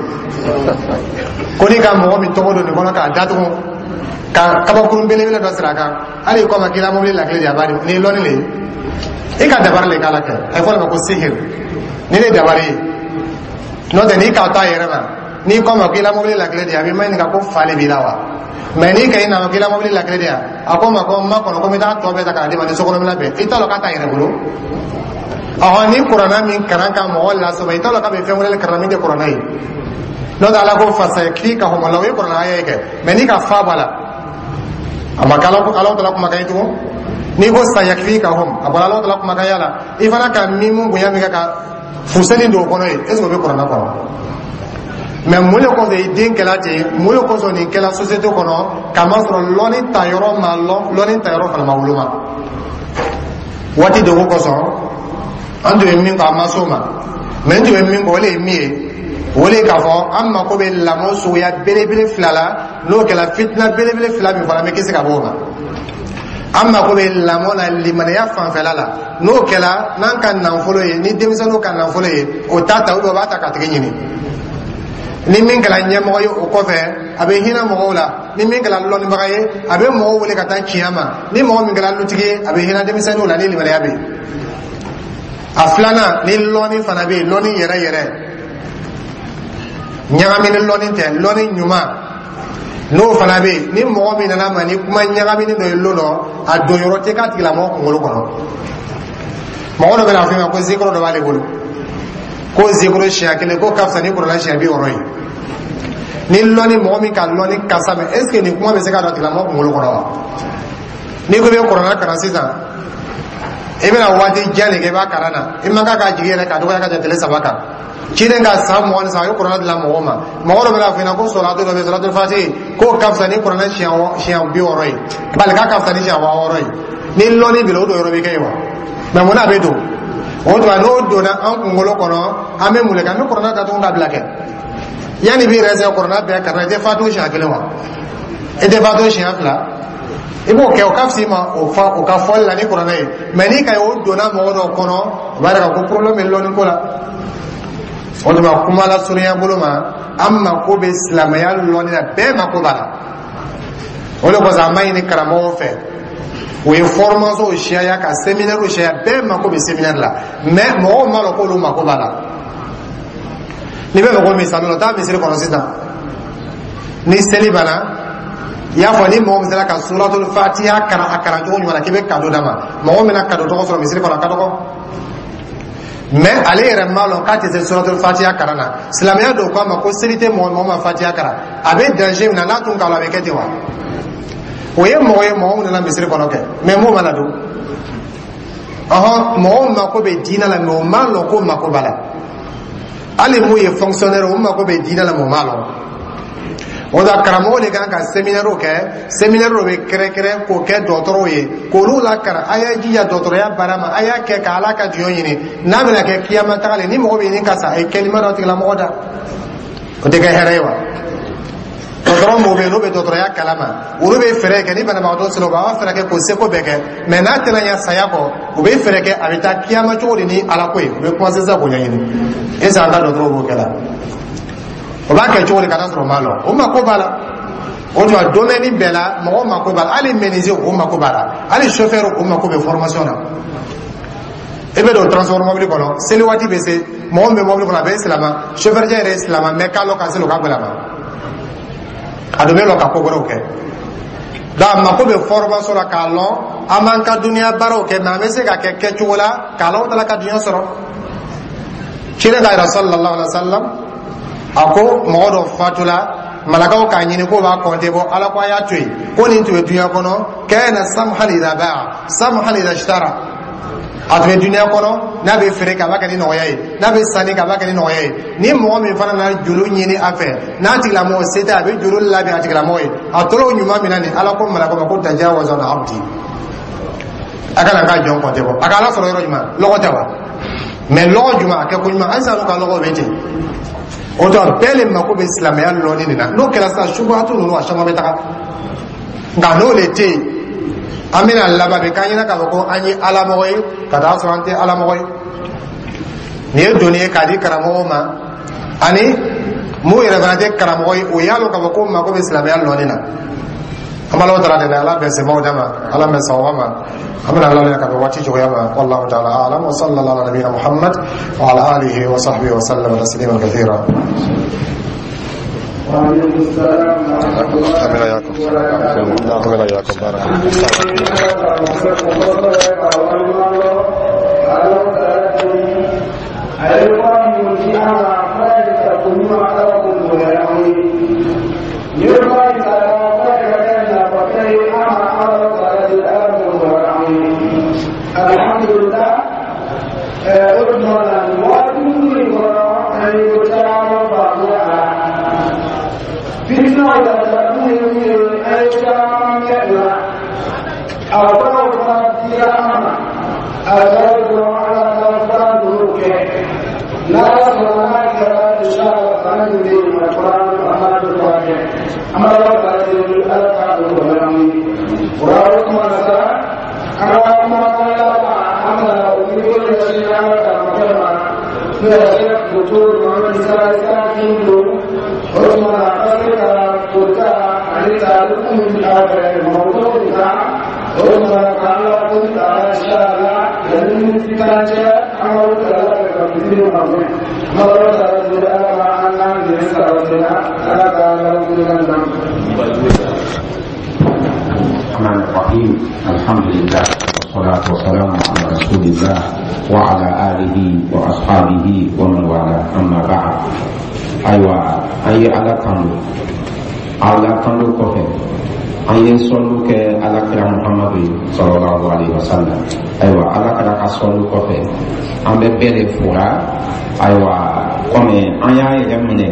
ko n'i ka mɔgɔ min tɔgɔ don nin kɔnɔ k'a datugu ka kabakurun belebele dɔ siri a kan, hali i kɔ ma k'i la mobili lakile de, a b'a di. Nin ye lɔnni le ye, i ka dabari le k'a la kɛ, a ye fɔ o de ma ko sihir. Ni ne dabari ye, n'o tɛ n'i k'a to a yɛrɛ ma, n'i kɔ ma k'i la mobili lakile de, a b'i maɲininka ko fa de b'i la wa. Mɛ n'i ka i nana k'i la mobili lakile de yan, a ko ma ko n ma kɔnɔ, ko n bɛ taa tɔ bɛɛ ta k'a d'i ma ni sokɔnɔminɛ bɛɛ, i t'a dɔn k'a t'a yɛrɛ bolo. Ɔhɔn, ni kuranna min kalan ka mɔgɔ lasɔmɔ, i t'a dɔn k'a bɛ fɛn wɛrɛ kalan min tɛ kuranna ye. N'o tɛ Ala ko fasayakfikahum la, o ye kuranna aya ye kɛ. Mɛ n'i ka fa b'a la, a ma kɛ Ala tala kumakan ye tugun. N'i ko sayakfikahum, a bɔra Ala tala kumakan ya la. I fana ka mimu bonya min kɛ ka fuseni don o kɔnɔ ye, est ce que o bɛ kuranna kɔnɔ? Mɛ mun de kosɔn i den kɛla ten? Mun de kosɔn nin kɛla société kɔnɔ? K'a masɔrɔ lɔnni ta yɔrɔ ma lɔn, lɔnni ta yɔrɔ fana ma woloma. Waati degun kosɔn, an tun bɛ min kɔ, a ma s'o ma. Mɛ n tun bɛ min kɔ, o de ye min ye, o de ye k'a fɔ an mako bɛ lamɔ suguya belebele fila la. N'o kɛra, fitina belebele fila min fɔra, an bɛ kisi ka bɔ o ma. An mako bɛ lamɔ la limaniya fanfɛla la. N'o kɛra, n'an ka nafolo ye, ni denmisɛnninw ka nafolo ye, o t'a ta, o b'a ta k'a tigi ɲini. Ni min kɛra ɲɛmɔgɔ ye o kɔfɛ, a bɛ hinɛ mɔgɔw la. Ni min kɛra lɔnnibaga ye, a bɛ mɔgɔw wele ka taa tiɲɛ ma. Ni mɔgɔ min kɛra lutigi ye, a bɛ hinɛ denmisɛnninw la ni limaniya bɛ yen. A filanan, ni lɔnni fana bɛ yen, lɔnni yɛrɛ yɛrɛ, ɲagamini lɔnni tɛ, lɔnni ɲuman, n'o fana bɛ yen, ni mɔgɔ min nana ma ni kuma ɲagamini dɔ ye lon dɔ, a don yɔrɔ tɛ k'a tigilamɔgɔ kunkolo kɔnɔ. Mɔgɔ dɔ bɛ na fɔ i ma ko zikɔrɔ dɔ b'ale bolo. Ko zikuru siɲɛ kelen ko ka fisa ni kuranɛ siɲɛ 60 ye. Ni lɔnni, mɔgɔ min ka lɔnni kasa mɛ, est ce que nin kuma bɛ se ka don a tigilamɔgɔ kunkolo kɔnɔ wa? N'i ko i bɛ kuranɛ kalan sisan, i bɛna waati jan de kɛ i b'a kalan na. I man kan k'a jigi yɛrɛ k'a dɔgɔya ka tɛmɛ tile 3 kan. Ciden ka san 23, a ye kuranɛ dilan mɔgɔw ma. Mɔgɔ dɔ bɛna fɔ i ɲɛna ko sɔlatu dɔ bɛ, sɔlatu fati, k'o ka fisa ni kuranɛ siɲɛ 60 ye, bali k'a ka fisa ni siɲɛ 6000 ye. Ni lɔnni b'i la, o don yɔrɔ bɛ kɛ yen wa? Mɛ mun na a bɛ don o tuma? N'o donna an kunkolo kɔnɔ, an bɛ mun de kɛ? An bɛ kuranɛ datugu ka bila kɛ. Yanni b'i yɛrɛ sɛ kuranɛ bɛɛ kalan, i tɛ fatu siɲɛ kelen wa? I tɛ fatu siɲɛ fila? I b'o kɛ, o ka fisa i ma o fa o ka fɔli la ni kuranɛ ye. Mɛ n'i ka ye o donna mɔgɔ dɔw kɔnɔ, o b'a yira k'a ko problème bɛ lɔnni ko la. O tuma, kuma lasurunya bolo ma, an mako bɛ silamɛya lɔnni na, bɛɛ mako b'a la. O de kosɔn an b'a ɲini karamɔgɔw fɛ, u ye formation siyaya ka séminaire siyaya. Bɛɛ mako bɛ séminaire la, mais mɔgɔw m'a dɔn k'olu mako b'a la. N'i bɛ fɛ ko misali la, taa misiri kɔnɔ sisan, ni seli banna, i y'a fɔ ni mɔgɔ min sera ka suratul fatiha kalan a kalan cogo ɲuman na, k'i bɛ cadeau d'a ma. Mɔgɔ min na cadeau tɔgɔ sɔrɔ misiri kɔnɔ, a ka dɔgɔ. Mais ale yɛrɛ m'a lɔn k'a tɛ se suratul fatiha kalan na. Silamɛya dɔw ko a ma ko seli tɛ mɔgɔ mɔgɔ ma fatiha kalan, a bɛ danger min na. N'a tun k'a la, a bɛ kɛ ten wa? O ye mɔgɔ ye, mɔgɔ min nana misiri kɔnɔ kɛ, mais mun mana don ɔhɔn, mɔgɔw mako bɛ diinɛ la, mais o m'a lɔn ko mako b'a la. Hali mun ye fonctionnaire, o mako bɛ diinɛ la, mais o m'a lɔn. O la, karamɔgɔ de kan ka séminaire kɛ. Séminaire dɔ bɛ kɛrɛnkɛrɛn k'o kɛ dɔgɔtɔrɔw ye, k'olu lakalan: a y'a jija dɔgɔtɔrɔya baara ma, a y'a kɛ ka Ala ka jɔn ɲini. N'a bɛna kɛ kiyama taga le, ni mɔgɔ bɛ ɲini ka sa, a ye kɛlima dɔ tigilamɔgɔ da, o tɛ kɛ hɛrɛ ye wa? Dɔgɔtɔrɔ mɔgɔw bɛ yen, n'u bɛ dɔgɔtɔrɔya kalama, olu bɛ fɛɛrɛ kɛ ni banabagatɔ sera, u b'a fɛɛrɛ kɛ k'o seko bɛɛ kɛ. Mɛ n'a tɛna ɲɛ saya kɔ, u bɛ fɛɛrɛ kɛ a bɛ taa kiyama cogo di ni Ala ko ye. U bɛ commencer sisan k'o ɲɛɲini. Est ce que an ka dɔgɔtɔrɔw b'o kɛ la? O b'a kɛ cogo di ka taa sɔrɔ o m'a lɔn o mako b'a la? O tuma, domaine bɛɛ la, mɔgɔ mako b'a la. Hali menuisier, o mako b'a la. Hali chauffeur, o mako bɛ formation na. I bɛ don transport mobili kɔnɔ, seli waati bɛ se, mɔgɔ min bɛ mobili kɔnɔ, a bɛ silama, chauffeur cɛ yɛrɛ ye silama, mais k'a lɔ ka seli, o ka gɛlɛn a ma. A dun bɛ lɔ ka ko wɛrɛw kɛ. Donc a mako bɛ formation la k'a lɔn an b'an ka duniya baaraw kɛ, mais an bɛ se ka kɛ kɛcogo la k'a Ala ka dunya sɔrɔ. Ciden ka yɛrɛ sallallahu alaihi wa sallam, a ko mɔgɔ dɔ fatula, malakaw k'a ɲini k'o b'a kɔnte bɔ. Ala ko a y'a to yen, ko nin tun bɛ dunya kɔnɔ, kana samhan idha ba'a, samhan idha ishtara. A tun bɛ dunya kɔnɔ, n'a bɛ feere kɛ, a b'a kɛ ni nɔgɔya ye, n'a bɛ sanni kɛ, a b'a kɛ ni nɔgɔya ye. Ni mɔgɔ min fana nana juru ɲini a fɛ, n'a tigilamɔgɔ se tɛ, a bɛ juru labɛn a tigilamɔgɔ ye. A tora o ɲuman min na nin, Ala ko malakaw ma ko tajawaza an abdi, a kana k'a jɔn kɔnte bɔ. A ka Ala sɔrɔ yɔrɔ jumɛn? Lɔgɔ tɛ wa? Mais lɔgɔ jumɛn, a kɛ ko ɲuman. Halisa n'u ka lɔgɔ bɛ ten. O tuma, bɛɛ le mako bɛ silamɛya lɔnni nin na. N'o kɛra sisan, subuhatu ninnu a caman bɛ taga. Nka n'o de tɛ yen, an bɛna laban bɛ k'an ɲɛna k'a fɔ ko an ye alamɔgɔ ye, ka taa sɔrɔ an tɛ alamɔgɔ ye. Nin ye doni ye k'a di karamɔgɔw ma, ani mun yɛrɛ fana tɛ karamɔgɔ ye, o y'a lɔn k'a fɔ ko mako bɛ silamɛya lɔnni na. An b'Ala taala deli, Ala bɛn semaw d'a ma, Ala bɛn sawaba ma. An bɛna Ala ka bɛn waati cogoya ma. Wallahu ta'ala a'lam, wa sallallahu ala nabiyina Muhammad wa ala alihi wa sahbihi wa sallam tasliman kathira. وعليكم السلام ورحمة الله. آمين وإياكم، آمين وإياكم، بارك الله. الحمد لله أدمنا وأدمني أن يتعالى بعضها fitna da tafi ne ai caman kɛla a fɔlɔ fana dira an ma, a kɛra dɔrɔn ala ka fura ninnu kɛ. N'Ala sɔnna, n'a kɛra, inshallah, bana min bɛ yen, a fura an b'a dɔn furakɛ. An b'a la ka deli Ala k'a dɔn nɔgɔya an ye. O la, o tuma na sa, an ka kumakan laban, an bɛna o ni ko ɲɛsin an ka karamɔgɔkɛ ma, n'o ye Sɛki Docteur Mohamed Sala Gindo. O tuma na, a ka se ka kota ani tariku min a fɛ mawudu min kan, o tuma na k'an la ko ta, inshallah, yanni miniti tan cɛ, an ka o ta fɛ ka fitiri ma fɛn. An b'a la ta deli Ala ka an n'an dɛmɛ sabati la, Ala ka laban d'an ma. الرحمن الرحيم، الحمد لله. والصلاة والسلام على رسول الله وعلى آله وأصحابه ومن والاه، أما بعد. Ayiwa, an ye Ala tanu. Ala tanu kɔfɛ, an ye sɔlu kɛ Ala kira Muhamadu ye sallallahu alaihi wasallam. Ayiwa, Ala kira ka sɔlu kɔfɛ, an bɛ bɛɛ de fora. Ayiwa, kɔmi an y'a yɛrɛ minɛ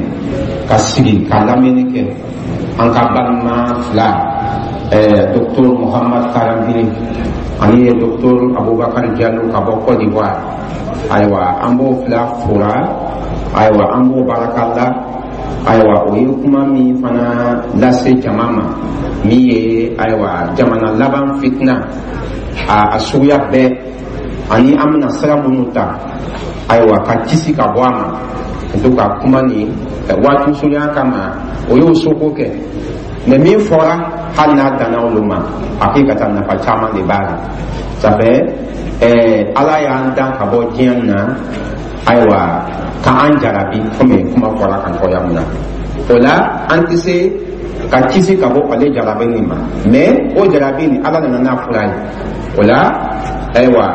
ka sigi ka lamɛnni kɛ, an ka balima fila, docteur Muhammad Karambiri ani docteur Abubakar Jalo ka bɔ Côte d'Ivoire, ayiwa, an b'o fila fora. Ayiwa, an b'o baraka la. Ayiwa, o ye kuma min fana lase jama ma, min ye, ayiwa, jamana laban fitina a suguya bɛɛ ani an bɛna sira minnu ta, ayiwa, ka kisi ka bɔ a ma. En tout cas, kuma nin waati surunya kama, o y'o soko kɛ. Mais min fɔra, hali n'a danna olu ma, hakikatan nafa caman de b'a la. Ça fait Ala y'an dan ka bɔ diɲɛ na, ayiwa, ka an jarabi, komi kuma fɔra kan cogoya min na. O la, an tɛ se ka kisi ka bɔ ale jarabi nin ma, mais o jarabi nin, Ala nana n'a fura ye. O la, ayiwa,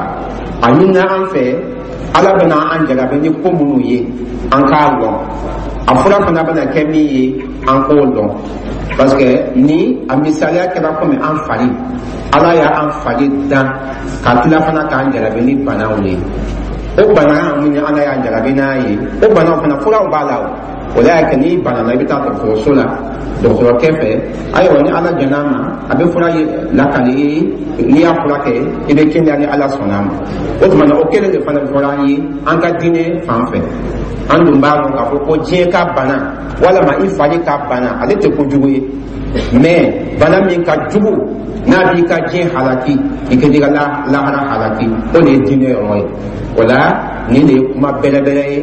a ɲinina an fɛ, Ala bɛna an jarabi ni ko minnu ye, an k'a lɔn. A fura fana bɛna kɛ min ye, an k'o lɔn, parce que ni a misaliya kɛra komi an fari, Ala y'an fari dan ka tila fana k'an jarabi ni banaw ye. O bana min Ala y'an jarabi n'a ye, o banaw fana, furaw b'a la. O la y'a kɛ, n'i banana, i bɛ taa dɔgɔtɔrɔso la, dɔgɔtɔrɔkɛ fɛ. Ayiwa, ni Ala jɛn'a ma, a bɛ fura lakali i ye. N'i y'a fura kɛ, i bɛ kɛnɛya ni Ala sɔnna a ma. O tuma na, o kelen de fana fɔra an ye an ka diinɛ fan fɛ. An dun b'a dɔn k'a fɔ ko diɲɛ ka bana walama i fari ka bana, ale tɛ kojugu ye. Mais bana min ka jugu, n'a b'i ka diɲɛ halaki, i ka ka lahara halaki, o de ye diinɛ yɔrɔ ye. O la, nin de ye kuma bɛrɛbɛrɛ ye,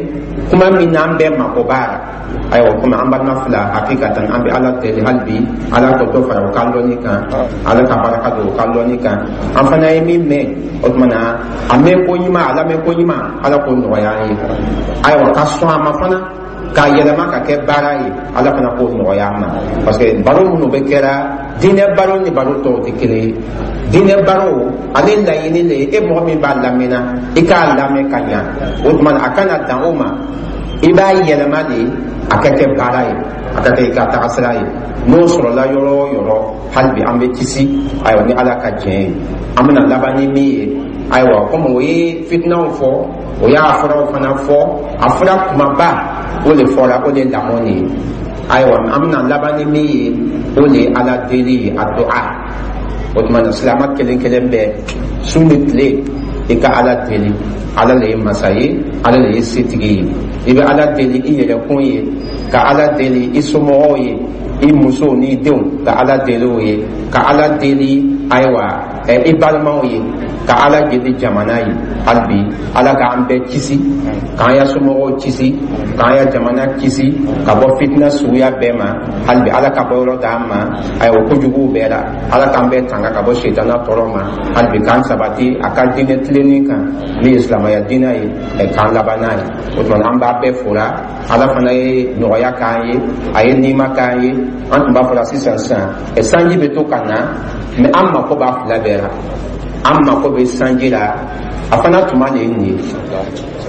kuma min n'an bɛɛ mako b'a la. Ayiwa, komi an balima fila, hakikatan an bɛ Ala deli hali bi, Ala ka dɔ fara o ka lɔnni kan, Ala ka baraka don o ka lɔnni kan. An fana ye min mɛn, o tuma na, a mɛn ko ɲuman, a lamɛn ko ɲuman, Ala k'o nɔgɔya an ye. Ayiwa, ka sɔn a ma fana k'a yɛlɛma ka kɛ baara ye, Ala fana k'o nɔgɔya an ma, parce que baro minnu bɛ kɛra, diinɛ baro ni baro tɔw tɛ kelen ye. Diinɛ baro, ale laɲini le ye, e mɔgɔ min b'a lamɛnna, i k'a lamɛn ka ɲa. O tuma na, a kana dan o ma, i b'a yɛlɛma de a ka kɛ baara ye, a ka kɛ i ka taga sira ye. N'o sɔrɔla yɔrɔ o yɔrɔ, hali bi an bɛ kisi. Ayiwa, ni Ala ka diɲɛ ye, an bɛna laban ni min ye, ayiwa, komi o ye fitinaw fɔ, o y'a furaw fana fɔ, a fura kumaba o de fɔra, o de ye lamɔ nin ye. Ayiwa, an bɛna laban ni min ye, o de ye Ala deli ye, a du'a. O tuma na, silamɛ kelen kelen bɛɛ, su ni tile, i ka Ala deli. Ala le ye masa ye, Ala le ye setigi ye. I bɛ Ala deli i yɛrɛ kun ye, ka Ala deli i somɔgɔw ye, i musow n'i denw, ka Ala deli o ye, ka Ala deli, ayiwa, i balimaw ye, ka Ala deli jamana ye. Hali bi, Ala k'an bɛɛ kisi, k'an ya somɔgɔw kisi, k'an ya jamana kisi ka bɔ fitina suguya bɛɛ ma. Hali bi, Ala ka bɔ yɔrɔ d'an ma, ayiwa, kojuguw bɛɛ la. Ala k'an bɛɛ tanga ka bɔ setana tɔɔrɔ ma. Hali bi, k'an sabati a ka diinɛ tilenni kan, min ye silamɛya diinɛ ye, k'an laban n'a ye. O tuma, an b'a bɛɛ fora. Ala fana ye nɔgɔya k'an ye, a ye nima k'an ye. An tun b'a fɔla sisan sisan, sanji bɛ to ka na, mais an mako b'a fila bɛɛ la. An mako bɛ sanji la, a fana tuma de ye nin ye,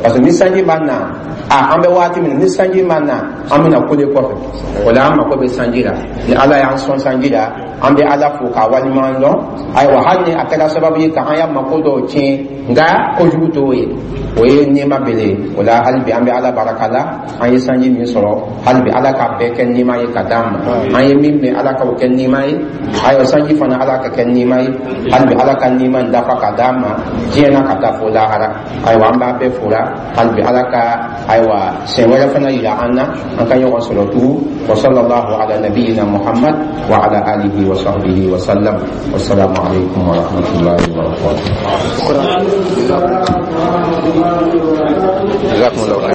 parce que ni sanji ma na, a an bɛ waati min na, ni sanji ma na, an bɛna kule kɔfɛ. O la, an mako bɛ sanji la. Ni Ala y'an sɔn sanji la, an bɛ Ala fo k'a waleɲuman dɔn. Ayiwa, hali ni a kɛra sababu ye ka an ya mako dɔw tiɲɛ, nka kojugu t'o ye, o ye nɛɛma bele ye. O la, hali bi, an bɛ Ala baraka la, an ye sanji min sɔrɔ. Hali bi, Ala k'a bɛɛ kɛ nɛɛma ye ka d'an ma. An ye min mɛn, Ala k'o kɛ nɛɛma ye. Ayiwa, sanji fana, Ala ka kɛ nɛɛma ye. Hali bi, Ala ka nɛɛma in dafa ka d'an ma diɲɛ na ka taa fo lahara. Ayiwa, an b'a bɛɛ fora. Hali bi, Ala ka, ayiwa, siɲɛ wɛrɛ fana yira an na, an ka ɲɔgɔn sɔrɔ tugun. Wa sallallahu ala nabiyyina Muhammad wa ala alihi wa sahbihi wa sallam. Wassalamu alaikum wa rahmatullahi wa barakatuh.